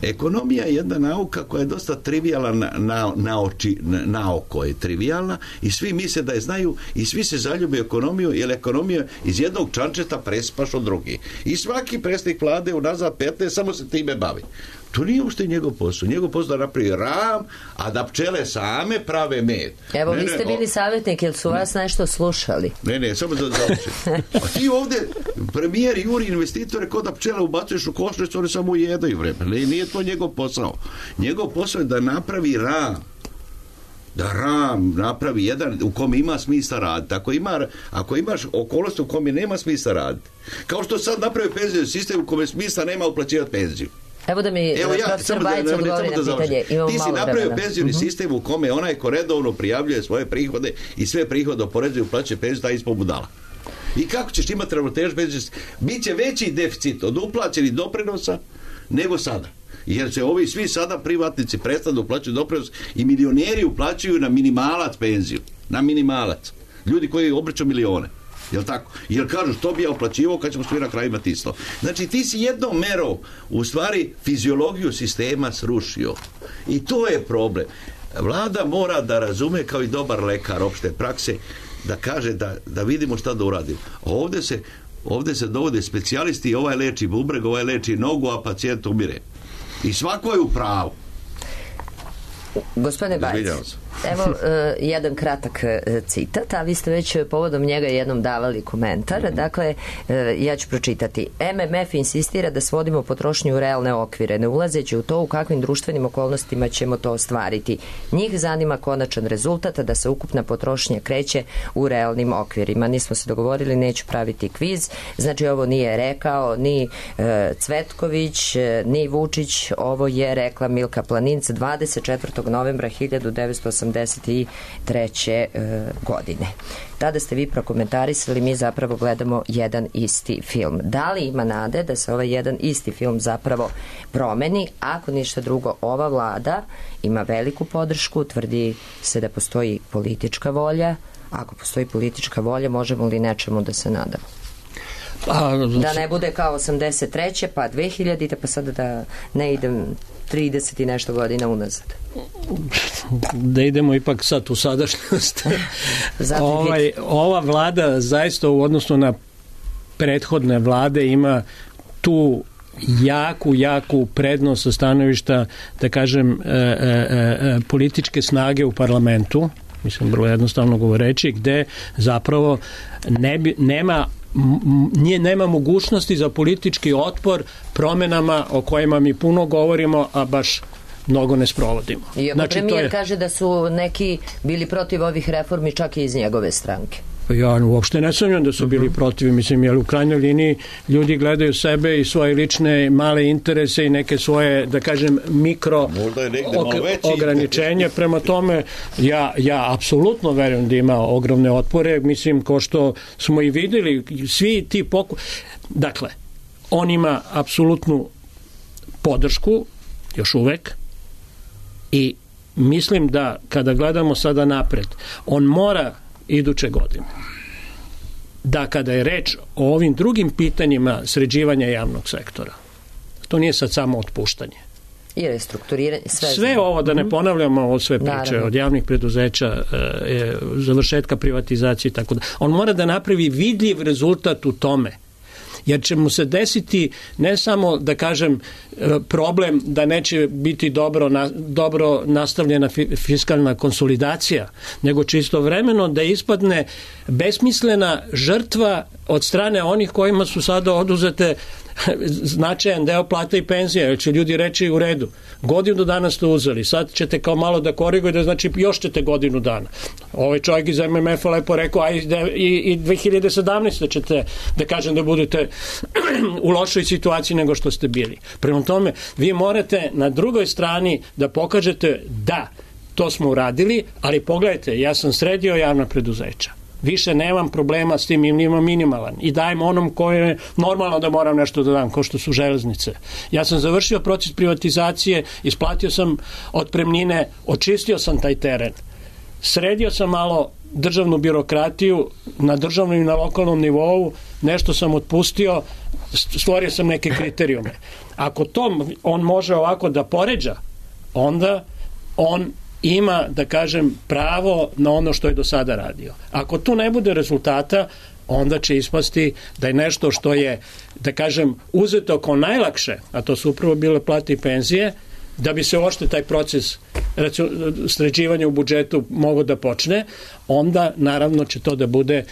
ekonomija je jedna nauka koja je dosta trivijalna na, na, na, oči, na, na oko je trivijalna i svi misle da je znaju i svi se zaljube ekonomiju, jer ekonomija iz jednog čančeta prespaš od drugi. I svaki predsjednik vlade unazad petnaest samo se time bavi. To nije uopšte njegov posao. Njegov posao da napravi ram, a da pčele same prave med. Evo, ne, vi ste ne, bili savjetnik, jel su ne. vas nešto slušali? Ne, ne, samo da završim. A ti ovdje, premijer juri investitore, kod da pčele ubacuješ u košnicu, oni samo ujedaju vreme. Ne, nije to njegov posao. Njegov posao je da napravi ram. da ram napravi jedan u kome ima smisla raditi. Ako, ima, ako imaš okolnost u kome nema smisla raditi, kao što sad napravi penzijski sistem u kome smisla nema uplaćivati penziju. Evo da mi Evo ja, profesor samo Bajić da, odgovori da, na pitanje. Imamo ti si malo napravio vremena. penzijski Uh-huh. sistem u kome onaj ko redovno prijavljuje svoje prihode i sve prihode oporezuje uplaćuje penziju, taj ispod budala. I kako ćeš imati ravnotežu penzijski? Biće veći deficit od uplaćenih doprinosa nego sada. Jer se ovi svi sada privatnici prestanu uplaćuju doprinos i milioneri uplaćuju na minimalac penziju. Na minimalac. Ljudi koji obrću milione. Jel tako? Jer kažu što bi ja uplaćivao kad ćemo svi na kraju imati isto. Znači ti si jednom merom u stvari fiziologiju sistema srušio. I to je problem. Vlada mora da razume kao i dobar lekar opšte prakse da kaže da, da vidimo šta da uradimo. Ovdje se, ovdje se dovode specijalisti i ovaj leči bubreg, ovaj leči nogu, a pacijent umire. I svako je u pravu. Gospodine Bajić, evo uh, jedan kratak uh, citat, a vi ste već povodom njega jednom davali komentar. Mm-hmm. Dakle, uh, ja ću pročitati. M M F insistira da svodimo potrošnju u realne okvire, ne ulazeći u to u kakvim društvenim okolnostima ćemo to ostvariti. Njih zanima konačan rezultat, da se ukupna potrošnja kreće u realnim okvirima. Nismo se dogovorili, neću praviti kviz. Znači, ovo nije rekao ni uh, Cvetković, uh, ni Vučić, ovo je rekla Milka Planinc dvadeset četvrtog novembra hiljadu devetsto osamdeset treće godine. Tada ste vi prokomentarisali, mi zapravo gledamo jedan isti film. Da li ima nade da se ovaj jedan isti film zapravo promeni? Ako ništa drugo, ova vlada ima veliku podršku, tvrdi se da postoji politička volja. Ako postoji politička volja, možemo li nečemu da se nadamo? A, da ne bude kao osamdeset treće pa dve hiljadite pa sada da ne idem trideset i nešto godina unazad. Da idemo ipak sad u sadašnjost. ovaj, ova vlada zaista u odnosu na prethodne vlade ima tu jaku, jaku prednost sa stanovišta, da kažem, e, e, e, političke snage u parlamentu, mislim vrlo jednostavno govoreći, gde zapravo ne bi, nema nije, nema mogućnosti za politički otpor promjenama o kojima mi puno govorimo, a baš mnogo ne sprovodimo. Iako znači, premijer je... kaže da su neki bili protiv ovih reformi čak i iz njegove stranke. Ja uopšte ne sumnjam da su bili protiv, mislim, jer u krajnjoj liniji ljudi gledaju sebe i svoje lične male interese i neke svoje, da kažem, mikro ok, ograničenje. Prema tome, ja, ja apsolutno verujem da ima ogromne otpore, mislim, ko što smo i videli, svi ti poku... Dakle, on ima apsolutnu podršku, još uvek, i mislim da kada gledamo sada napred, on mora iduće godine da kada je reč o ovim drugim pitanjima sređivanja javnog sektora, to nije sad samo otpuštanje i restrukturiranje, sve, sve ovo, da ne ponavljamo ovo sve priče, naravno, od javnih preduzeća, e, završetka privatizacije i tako da, on mora da napravi vidljiv rezultat u tome, jer će mu se desiti ne samo, da kažem, problem da neće biti dobro, na, dobro nastavljena fiskalna konsolidacija, nego će istovremeno da ispadne besmislena žrtva od strane onih kojima su sada oduzete značajan deo plata i penzija, jer će ljudi reći u redu, godinu dana ste uzeli, sad ćete kao malo da korigujete, znači još ćete godinu dana. Ovaj čovjek iz M M F-a lepo rekao, a i, i dve hiljade sedamnaeste ćete, da kažem, da budete u lošoj situaciji nego što ste bili. Prema tome, vi morate na drugoj strani da pokažete da, to smo uradili, ali pogledajte, ja sam sredio javna preduzeća. Više nemam problema s tim, imam minimalan i dajem onom koje je normalno da moram nešto da dam, kao što su železnice. Ja sam završio proces privatizacije, isplatio sam otpremnine, očistio sam taj teren. Sredio sam malo državnu birokratiju na državnom i na lokalnom nivou, nešto sam otpustio, stvorio sam neke kriterijume. Ako to on može ovako da poređa, onda on ima, da kažem, pravo na ono što je do sada radio. Ako tu ne bude rezultata, onda će ispasti da je nešto što je, da kažem, uzeto kao najlakše, a to su upravo bile plate i penzije, da bi se uopšte taj proces sređivanja u budžetu mogao da počne, onda naravno će to da bude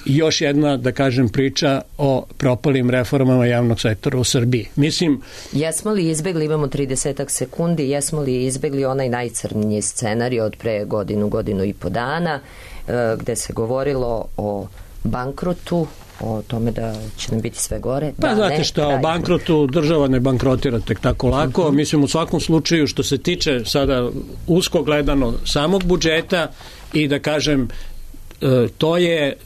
još jedna, da kažem, priča o propalim reformama javnog sektora u Srbiji. Mislim... Jesmo li izbegli, imamo tridesetak sekundi, jesmo li izbegli onaj najcrniji scenarij od pre godinu, godinu i po dana, gde se govorilo o bankrotu, o tome da će nam biti sve gore. Pa da, znate ne, što, o bankrotu država ne bankrotira tek tako lako. Uh-huh. Mislim, u svakom slučaju, što se tiče sada usko gledano samog budžeta i da kažem, to je,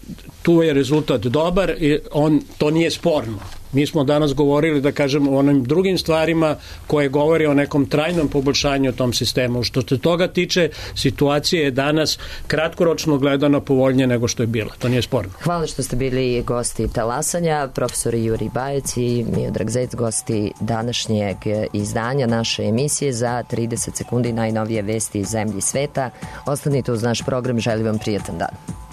tu je rezultat dobar i on, to nije sporno. Mi smo danas govorili, da kažem, o onim drugim stvarima koje govori o nekom trajnom poboljšanju tom sistemu. Što se toga tiče, situacija je danas kratkoročno gledano povoljnije nego što je bila. To nije sporno. Hvala što ste bili gosti talasanja, profesori Juri Bajec i Miodrag Zec, gosti današnjeg izdanja naše emisije za trideset sekundi najnovije vesti iz zemlji i sveta. Ostanite uz naš program, želim vam prijatan dan.